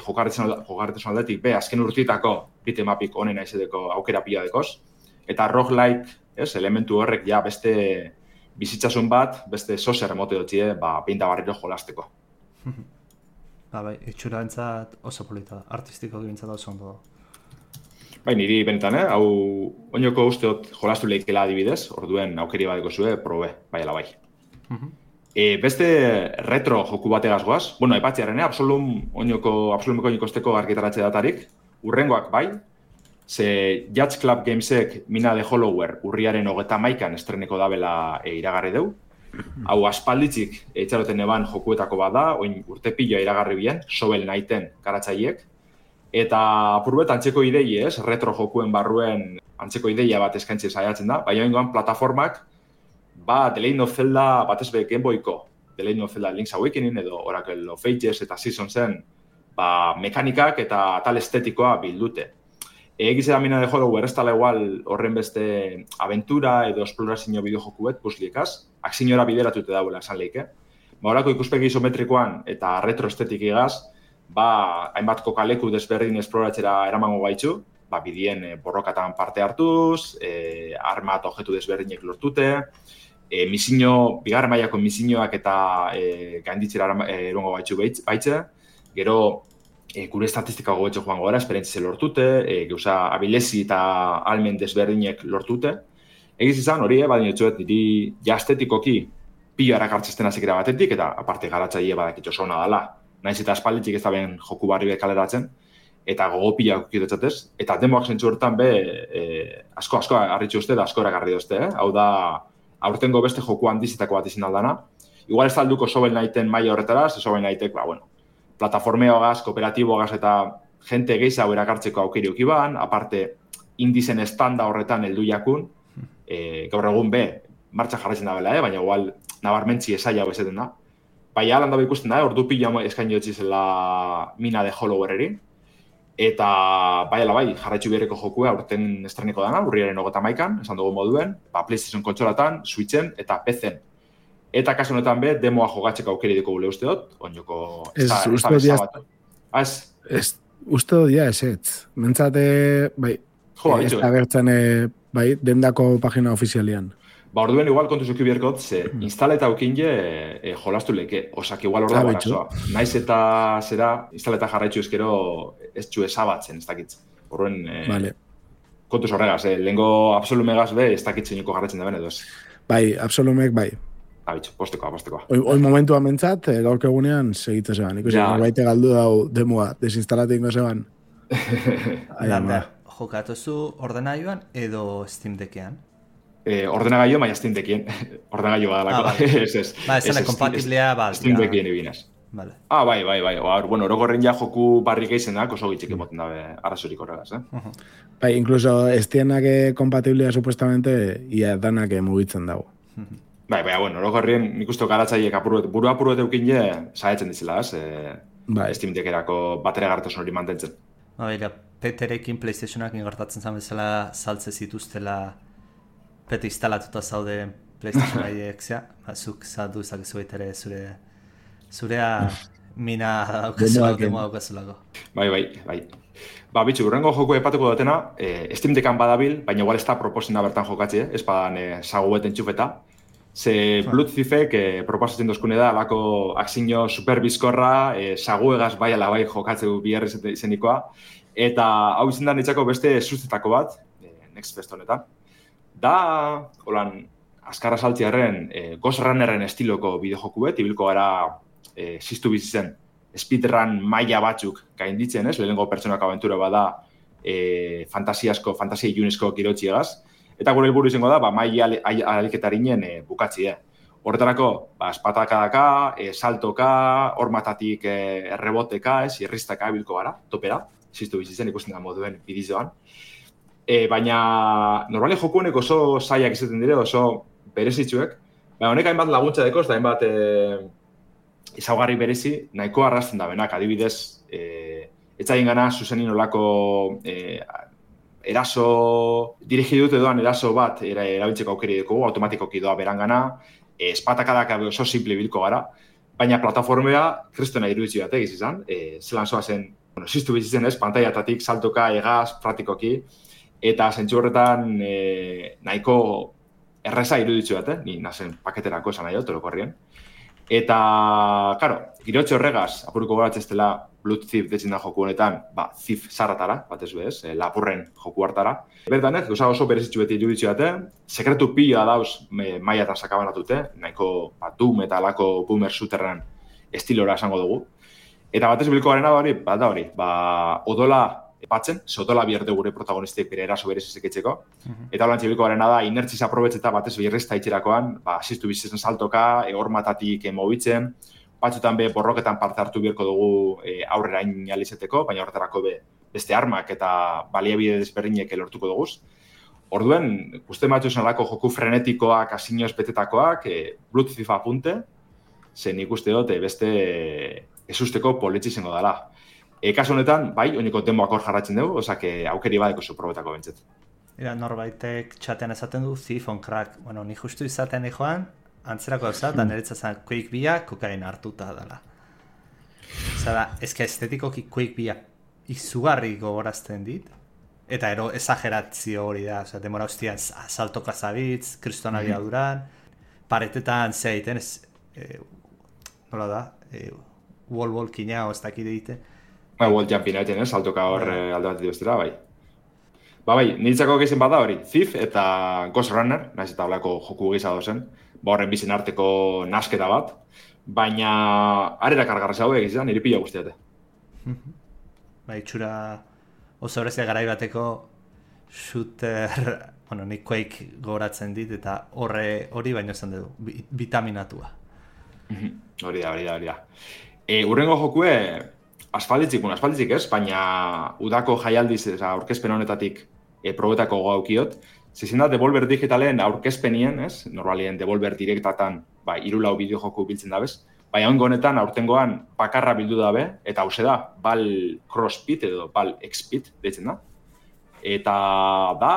jokarretzen aldetik, azken urtitako bitemapik onena izateko aukera pila dekoz, eta roguelike, elementu horrek ja beste bizitzasun bat, beste sozer emote dutzie, pinta barriro jolasteko. Bai, itxura entzat oso polita da, artistiko gintzat oso ondo da. Bai, niri benetan, hau oinoko usteot jolastu lehikela adibidez, orduen aukeri badeko zue, probe, bai ala bai. Beste retro joku bategaz goaz, aipatzearen, absolumeko oinokosteko argitaratze datarik, urrengoak bai, ze Judge Club Gamesek Mina de Hollower urriaren 31an estreneko dabela iragarri deu. Hau aspalditzik etxaroten eban jokuetako bada, oin urte pila iragarri bien, Shovel Knighten garatzaiek. Eta apurbet antzeko idei ez, retro jokuen barruen antzeko ideia bat eskaintze saiatzen da, baina ingoan plataformak, The Legend of Zelda batez be Game Boyko, The Legend of Zelda Link's Awakening edo Oracle of Ages eta Seasonsen mekanikak eta atal estetikoa bildute. Egize da Mina de Hollower ez tala igual horren beste aventura edo esplorazio bideojokuet puzliekaz, akzinora bideratute dauela esan leike. Horako ikuspegi isometrikoan eta retro estetikigaz, hainbat kokaleku desberdin esploratzera eramango gaitzu, bidien borrokatan parte hartuz, arma eta objektu desberdinek lortute, bigarren mailako misioak eta gainditzera erongo gaitzu baitze, gero gure estatistika gogetxo joan gara, esperientzize lortute, gauza abilezi eta almen desberdinek lortute. Egiz izan hori, badin etxuet, niri jastetikoki pilo erakartzezten azikera batetik, eta aparte garatzaile badakitxo zona dela. Naiz eta aspalditik ez da ben joku barri kaleratzen, eta gogopila kukidetzatez, eta demoak zentzu horretan asko harritxu uste da asko erakarri dozte, Hau da, aurtengo beste joku handizitako bat izin aldana. Igual ez talduko Shovel Knighten maila horretara, Shovel Knightek, plataformeoagaz, kooperatiboagaz eta jente gehiago erakartzeko aukeri ukiban, aparte indizen estanda horretan heldu jakun, gaur egun martxa jarraitzen da bela, baina igual nabarmentzi esaia bezeten da. Baina alan dabe ikusten da, ordu pila eskaini dutzi zela Mina de Hollowereri. Eta bai, jarraitzu berreko jokua aurten estreneko dana, urriaren 31an, esan dugu moduen, PlayStation kontsolatan, Switchen eta PC-en. Eta kasu honetan demoa jogatzeko aukeri deko gule usteot, oinoko ez da bezabatu. Uste dodia ez. Mentzate, ez da gertzen dendako pagina ofizialian. Orduen igual kontu zuki bierkot, ze instaleta aukinje jolastu leke, osak igual orda barazoa. Naiz eta zera, instaleta jarraitzu ezkero ez txu esabatzen, ez dakitz. Orduen, kontu zorregaz, lehenko absolumegaz ez dakitzen niko jarraitzen da ben edo ez. Absolumek Postekoa. Hoi momentua mentzat, gaurko egunean segitze zeban. Ikusi, baite galdu dau demoa, desinstalatik ingo zeban. Jokatuzu ordenagailuan edo Steam Deckean? Ordenagailu, baina Steam Deckien. Ordenagailu badalako. Ez kompatiblea, Steam Deckien ebinaz. Bai. Orokorren ja joku barrik eizen da, oso gitzik emoten dabe arrazorik horregaz. Incluso estienak kompatiblea supuestamente ia danak mugitzen dago. Orokorren nik uste garatzaiek buru apuruet eukin je, saietzen dizela, Steam Deckerako batere gartasun hori mantentzen. Peterekin PlayStationak ingartatzen zan bezala saltze zituztela pete instalatuta zaude PlayStation haiek, zuk zatu zakezu ere zurea Mina daukazulako. Bai. Bitxu, urrengo joku epatuko dutena, Steam Deckan badabil, baina igual ez da proposina bertan jokatzi, ez badan sagueten txufeta. Ze Blood Thiefek proposatzen dozkune da, alako akzinio superbizkorra, saguegaz bai ala bai jokatzeu biherri izenikoa, eta hau izan da nitzako beste suzetako bat, Next Fest honetan. Da, holan, azkarra saltziarren, Ghost Runnerren estiloko bideojoku bet, ibilko gara ziztu bizitzen speedrun maila batzuk gainditzen, ez? Lehenengo pertsonako abentura bada fantasia ilunezko kirotxiegaz. Eta gure helburu izango da, maila aliketarinen bukatzi, Horretarako, espatakadaka, saltoka, hormatatik erreboteka, irristaka bilko gara, topera, ziztu bizitzen ikusten da moduen bidizoan. Baina, normali joku honek oso zaiak izaten dire, oso berezitzuek. Baina, honek hainbat laguntza dekoz, da hainbat ezaugarri berezi, nahiko arrasten da benak, adibidez, etzaien gana zuzenin olako eraso, dirigidut edoan eraso bat erabiltzeko aukeri dugu, automatikoki doa berangana, espatakadak oso simple bilko gara, baina plataformea kristona iruditzi bat egiz izan, zelan zoa zen, ziztu bizitzen ez, pantaiatatik, saltoka, egaz, praktikoki, eta zentzu horretan nahiko erreza iruditzi bat, ni nazen paketerako esan nahi orokorrien. Eta, karo, girotxe horregaz, apuruko goratz ez dela Blood Thief detzen da joku honetan, Thief zarratara, bat ez bez, lapurren joku hartara. Bertan gauza oso berezitzu beti iruditzu dute, sekretu pila dauz mailatan sakabanatute, nahiko Doom eta alako boomer shooterren estilora esango dugu. Eta batez biliko garena da hori, odola epatzen, odola bierde gure protagonistek bere eraso berezizek etxeko. Eta holan biliko garena da, inertziz aprobetzeta batez birrezta itxerakoan, ziztu bizitzen saltoka, hormatatik mobitzen, batzutan borroketan parte hartu beharko dugu aurrera inalizeteko, baina horretarako beste armak eta baliabide desberdinek lortuko dugu. Orduen, uste matzu esanalako joku frenetikoak, asinioz betetakoak, Blood Thief apunte, zen ikuste dut beste ezusteko politzi izango dela. Kasu honetan, oineko demoak hor jarratzen dugu, osake aukeri badeko zuprobetako bentzet. Norbaitek txatean esaten du Thief on Crack. Bueno, ni justu izaten joan, antzerako gauza, da niretzat Quake bia kokain hartuta dela. Zara, estetikoki Quake bia izugarri gogorazten dit, eta ero exagerazio hori da, demora hostian saltoka zabitz, kristona biaduran, paretetan zea egiten, nola da, wall kina, ez dakide egiten. Wall jumping egiten, saltoka hor alde bat dituztera, bai. Niretzako gehizen bada hori, Thief eta Ghost Runner, nahiz eta holako joku gisa dozen, horren bizen arteko nasketa bat, baina arera kargarra zau egiz da, nire pila guztiate. Itxura oso horrezia garai bateko shooter, nik Quake gogoratzen dit, eta hori baino zen dugu, vitaminatua. Hori da. Urrengo jokue, aspalditzik ez, baina udako jaialdiz, aurkezpen honetatik probetako gaukiot, zezen da Devolver Digitalen aurkezpenien, ez? Normalien Devolver Directatan, 3-4 bideojoku biltzen dabez, baina ongo honetan aurtengoan bakarra bildu dabe, eta hause da, Bal Crossfit edo Bal X-Pit deitzen da. Eta da,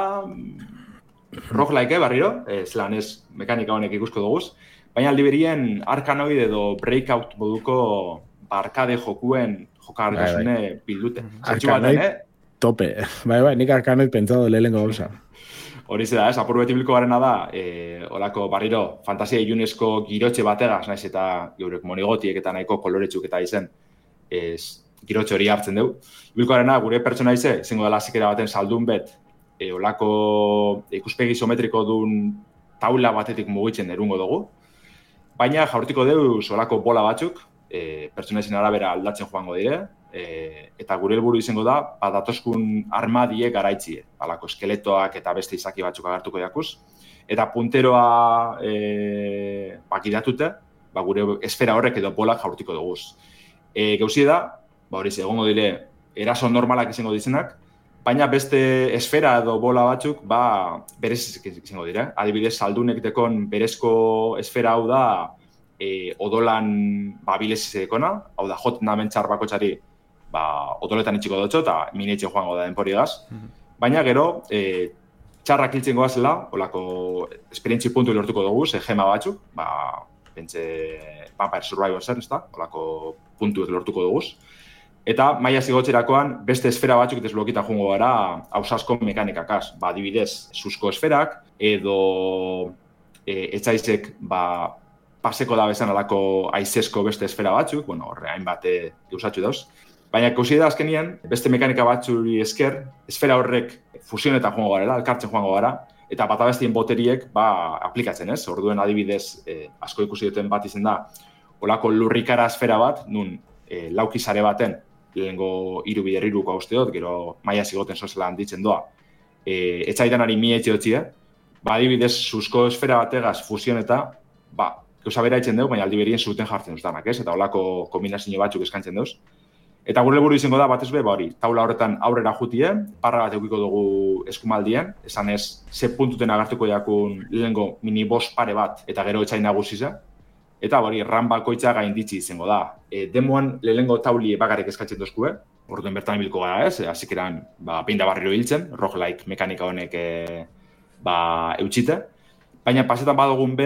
roguelike barriro, zelan ez mekanika honek ikusko duguz, baina aldiberien Arkanoid edo Breakout moduko arkade jokuen jokartasune bildute. Arkanoid tope. Nik Arkanoid pentsado lehengo gauza. Hori da, apur beti biliko garena da, olako barriro fantasia ilunezko girotxe bategaz, naiz eta geurek monigotiek eta nahiko koloretsuk eta izen girotxe hori hartzen dugu. Biliko garena, gure pertsona izango dela zikera baten saldun bet, olako ikuspegi isometriko duen taula batetik mugitzen erungo dugu, baina jaurtiko dugu olako bola batzuk, pertsona izan arabera aldatzen joango dire, eta gure helburu izango da, datoskun armadie garaitzie, alako eskeletoak eta beste izaki batzuk agertuko jakuz, eta punteroa bakidatute, gure esfera horrek edo bolak jaurtiko duguz. Gauzie da, egongo dire, eraso normalak izango dizenak, baina beste esfera edo bola batzuk, berez izango dire. Adibidez, saldunek dekon berezko esfera hau da, odolan bilez izekona, hau da, jot namentxar bakotxari, odoletan itxiko dutxo eta minetxe joango da denpori gaz. Baina gero, txarrak hiltzen goazela, olako esperientzi puntu lortuko dugu, gema batzuk, pentsa Vampire Survivor zen, olako puntu lortuko dugu. Eta maila zigotxerakoan beste esfera batzuk desblokitan joango gara hausasko mekanikakaz. Adibidez, susko esferak, edo etzaizek paseko da bezan alako aizesko beste esfera batzuk, horre hainbat gauzatxu dauz. Baina kausi da azkenien, beste mekanika batzuri esker, esfera horrek fusionetan joango gara, elkartzen joango gara, eta bata bestien boteriek aplikatzen, ez? Orduen adibidez, asko ikusi duten bat izen da, olako lurrikara esfera bat, nun laukizare baten, lehenengo 3 bider 3 usteot, gero maia zigoten sozela handitzen doa, etxaidanari mietxe hotxie, adibidez, suzko esfera bategaz fusion eta, gauza bera itzen dugu, baina aldi berien zuten jartzen duztanak, ez? Eta olako kombinazio batzuk eskantzen duz. Eta gure helburu izango da, batez be, taula horretan aurrera jutien, parra bat eukiko dugu eskumaldien, esan ez, ze puntuten agartuko jakun lehenengo mini boss pare bat, eta gero etxain nagusiza. Eta ran bakoitza gainditzi izango da. Demoan lehenengo tauli bakarrik eskatzen duzkue, orduen bertan ibilko gara ez, hasikeran peinda barriro hiltzen, roguelike mekanika honek eutxite. Baina pasetan badugun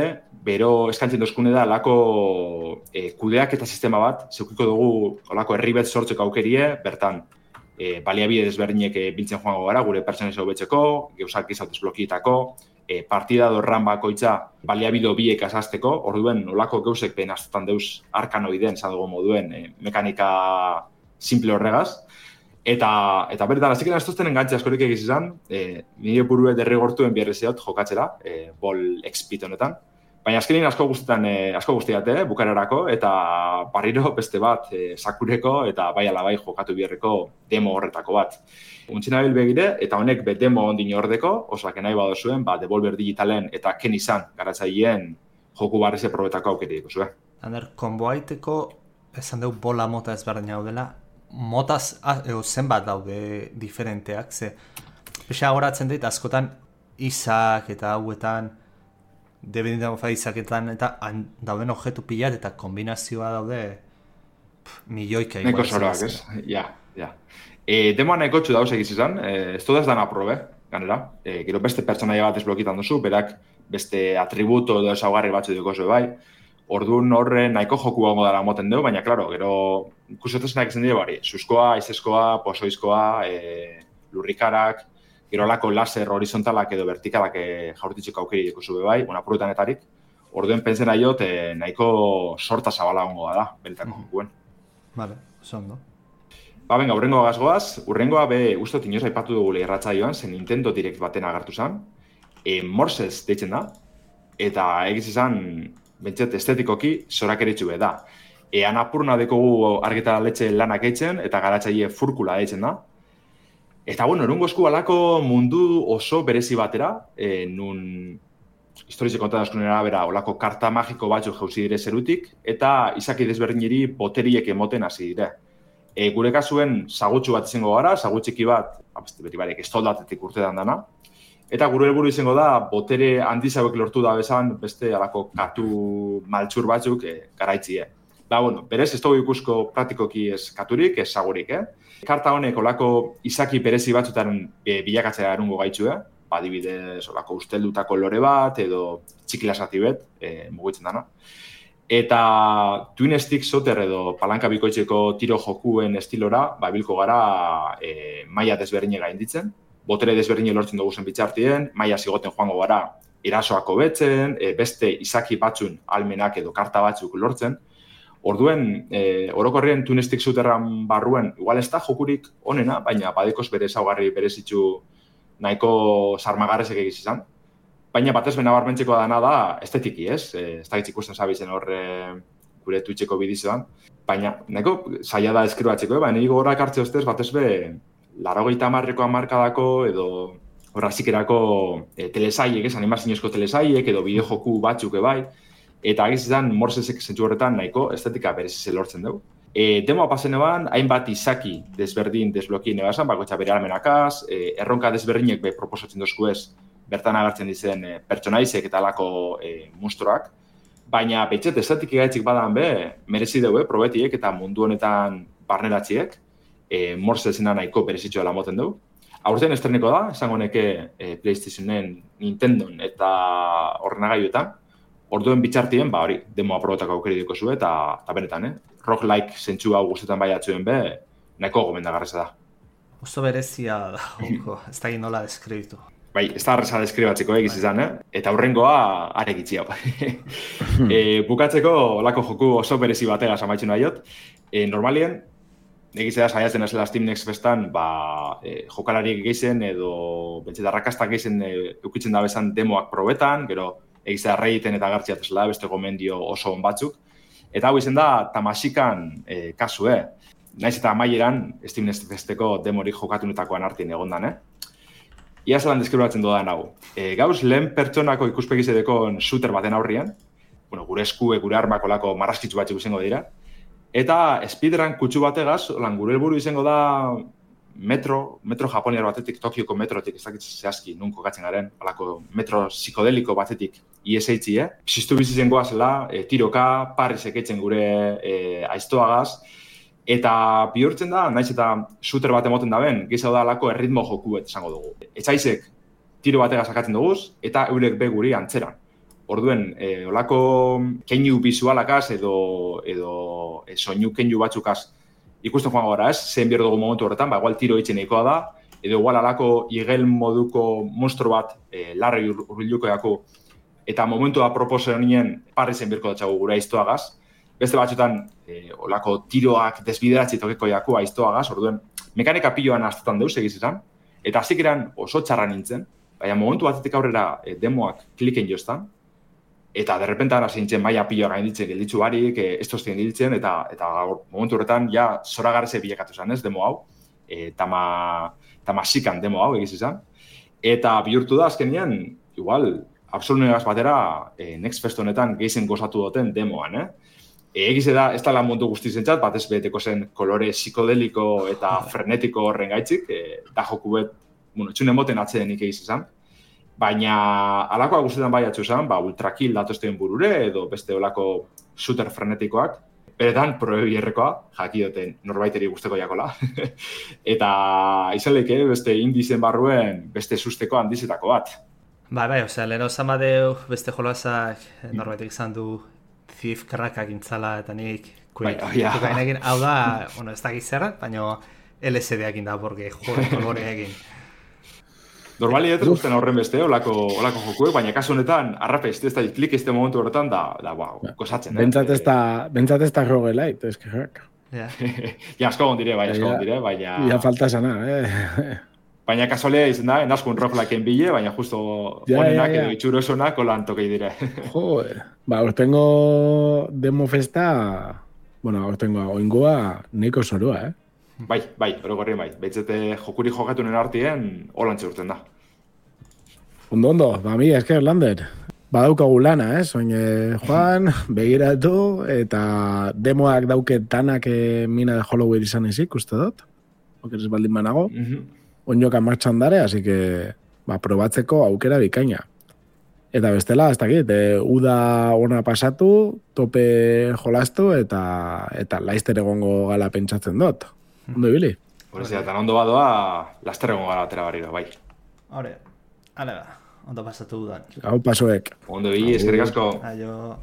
bero eskantzen dozkune da lako kudeak eta sistema bat, zeukiko dugu olako herribet sortzeko aukerie, bertan baliabide desberdinek biltzen joango gara, gure pertsonesa hobetzeko, geuzak izautez blokietako, partida dorran bakoitza baliabide biek azazteko, orduen olako geuzek benaztetan deuz arkanoiden, zadugu moduen, mekanika simple horregaz. Eta bertan, azikena ez tozten engantzea askorik egiz izan, nire burue derrigortuen biarrezeot jokatzera, bol expit honetan. Baina azkenin asko guztiate, bukararako, eta barriro beste bat sakureko eta bai ala bai jokatu biharreko demo horretako bat. Untzina begire, eta honek demo ondin ordeko, osak nahi badozuen, Devolver Digitalen eta ken izan garatzaileen joku barreze probetako aukerik zuen. Ander, konboaiteko esan dugu bola mota ezberdin hau dela, motaz zenbat daude diferenteak, ze pesa horatzen dit askotan izak eta hauetan debeditan izaketan eta dauden objektu pilat eta kombinazioa daude milioika igual. Neko zoroak, ez? Ja. Demoan neko txu dauz egiz izan, ez dudaz dana probe, ganera. Gero beste pertsonaia bat ezblokitan duzu, berak beste atributo edo ezaugarri batzu duko zuen bai. Orduan horre nahiko joku gongo dara moten dugu, baina, klaro, gero ikusotezenak izan dira bari. Zuzkoa, izeskoa, pozoizkoa, lurrikarak, gero lako laser horizontalak edo vertikalak jaurtitzeko aukeri duko zuen bai, apurutanetarik. Orduen pentsen aiot nahiko sorta zabala gongo da, benetako jokuen. Vale, zondo. Venga, urrengoa gazgoaz. Urrengoa ustot inoz aipatu dugu irratsaioan, zen Nintendo Direct baten agartu zen. Morsez deitzen da, eta egiz izan, bentsat estetikoki zorak eritxu da. Anapurna dekogu argitaletxe lanak eitzen, eta garatzaile furkula eitzen da. Eta, erungo esku alako mundu oso berezi batera, nun historize kontadazkunera bera olako karta magiko batzuk jauzi dire zerutik, eta izaki desberdineri boteriek emoten hasi dire. Gure kasuen sagutxu bat izango gara, sagutxiki bat, beti barek estoldatetik urtetan dana, eta gure helburu izango da, botere handiz hauek lortu da bezan, beste alako katu maltsur batzuk garaitzie. Berez ez dugu ikusko praktikoki ez katurik, ez sagurik, Karta honek olako izaki berezi batzutan bilakatzea erungo gaitxu, adibidez olako usteldutako lore bat, edo txikilasati bet, mugitzen dana. Eta twin stick soter edo palanka bikoitzeko tiro jokuen estilora, bilko gara maila desberdine gainditzen, botere desberdine lortzen dugu zen bitxartien, maila zigoten joango gara erasoako betzen, beste izaki batzun almenak edo karta batzuk lortzen. Orduen, orokorrien twin stick soterran barruen, igual ez da jokurik onena, baina badekoz bere ezaugarri berezitzu nahiko sarmagarrezek egiz izan. Baina batez benabarmentzeko dana da estetiki, ez? Ez da ikusten zabizen horre gure Twitcheko bidizoan. Baina, nahiko zaila da eskribatzeko, baina nire gogorak hartze ostez, batez be, 80ko hamarkadako edo horrazikerako telesaiek, animazinezko telesaiek edo bideojoku batzuk bai. Eta agiz izan, Morsesek zentzu horretan nahiko estetika berezize lortzen dugu. Demoa pasen eban, hainbat izaki desberdin desblokien ebasan, bakoitza bere almenakaz, erronka desberdinek proposatzen dozku ez, bertan agertzen dizen pertsonaizek eta alako monstruak. Baina betxet estetik gaitzik badan merezi dugu, probetiek eta mundu honetan barneratziek, Morsesena nahiko berezitxo dela moten dugu. Aurten estreneko da, esango neke PlayStationen, Nintendon eta ordenagailuetan. Orduen bitxartien, hori, demoa probetako aukeri duko zu eta benetan, roguelike zentsu hau guztetan baiatzuen nahiko gomendagarreza da. Oso berezia da, ez da nola deskribitu. Ez da arreza deskribatzeko egiz izan, eta aurrengoa aregitzi hau. Bukatzeko olako joku oso berezi bategaz amaitzen nahiot. Normalien, Egiz da, saiatzen ezela Steam Next Festan, jokalariek geizen edo bentseta arrakastak geizen eukitzen da bezan demoak probetan, gero egiz da Redditen eta gartziat ezela, beste gomendio oso on batzuk. Eta hau izen da Tamasikan kasue. Naiz eta amaieran Steam Next Festeko demorik jokatunetakoan artien egondan, Ia zelan deskribatzen dodan hau. Gauz, lehen pertsonako ikuspegizedekon shooter baten aurrian, gure eskue, gure armak olako marraskitzu batzuk izango dira, eta speedrun kutsu bategaz, gure helburu izango da metro japoniar batetik, Tokioko metrotik, ez dakit zehazki, nun kokatzen garen, olako metro psikodeliko batetik ISH, Piztu bizitzen goazela, tiroka, parri sekeitzen gure aiztoagaz, eta bihurtzen da, naiz eta shooter bat emoten daben, gehiago da alako erritmo joku bat esango dugu. Etxaizek tiro batega sakatzen duguz, eta eurek be guri antzeran. Orduen, olako keinu bizualakaz edo soinu keinu batzukaz ikusten joango gara, zein behar dugu momentu horretan, igual tiro eitzen nahikoa da, edo igual alako igel moduko monstro bat larri urbiluko daku, eta momentu da proposen nien parri zen birko datxagu gure aiztoagaz. Beste batzutan, olako tiroak desbideratzi tokeko jaku aiztoagaz, orduen, mekanika piloan astutan deuz egiz izan, eta hasik eran oso txarra nintzen, baina momentu batetik aurrera demoak kliken joztan, eta derrepentan hasi nintzen maia piloa gainditzen gelditzu barik, ez toztien giltzen, eta momentu horretan ja zoragarreze bilakatu zen, ez, demo hau, tamasikan demo hau egiz izan, eta bihurtu da azkenean, igual, absolunegaz batera, Next Fest honetan geizen gozatu duten demoan, Egize da, ez da mundu guztizentzat, batez beteko zen kolore psikodeliko eta frenetiko horren gaitzik, da joku bet, txunen moten atzedenik egiz izan. Baina, alakoa guztietan bai atzu izan, ultrakill datozten burure edo beste olako shooter frenetikoak, beretan proebierrekoa, jakioten norbaiteri guzteko jakola. Eta izan leke, beste indizen barruen, beste susteko handizetako bat. Bai, leheno zan badeu, beste jolazak norbaitek izan du Thief karrakak intzala eta nik egin, hau da, ez da gizerrat, baina LSD egin da, porque kolore egin. Normali ez guztien horren beste, olako jokuek, baina kasu honetan, arrapez, ez da klik este momentu horretan, gozatzen. Bentsat ez da roguelite, ez que Ja, asko gondire, baina... Ja falta sana, Baina kasualea izan da, naskun roguelakeen bile, baina justo honenak edo itxurosonak holan tokei dire. Hortengo demo festa, hortengo oingoa neiko zorua, Bai, orogorri bai. Beitzete jokuri jokatunen artien, holantxe urten da. Ondo, mi esker, Lander. Badaukagu lana, Oin, Juan, begiratu, eta demoak dauket danak mina de Holloway izan ezik, uste dut. Okeres baldin banago. Oinoka martxan dare, así que probatzeko aukera bikaina. Eta bestela, ez dakit, uda ona pasatu, tope jolastu, eta laizter egongo gala pentsatzen dut. Ondo ibili? Horrezia, eta ondo badoa, laster egongo gala atera barriro, bai. Hore, ale ba, ondo pasatu udan. Hau pasoek. Ondo ibili, eskerrik asko. Aio.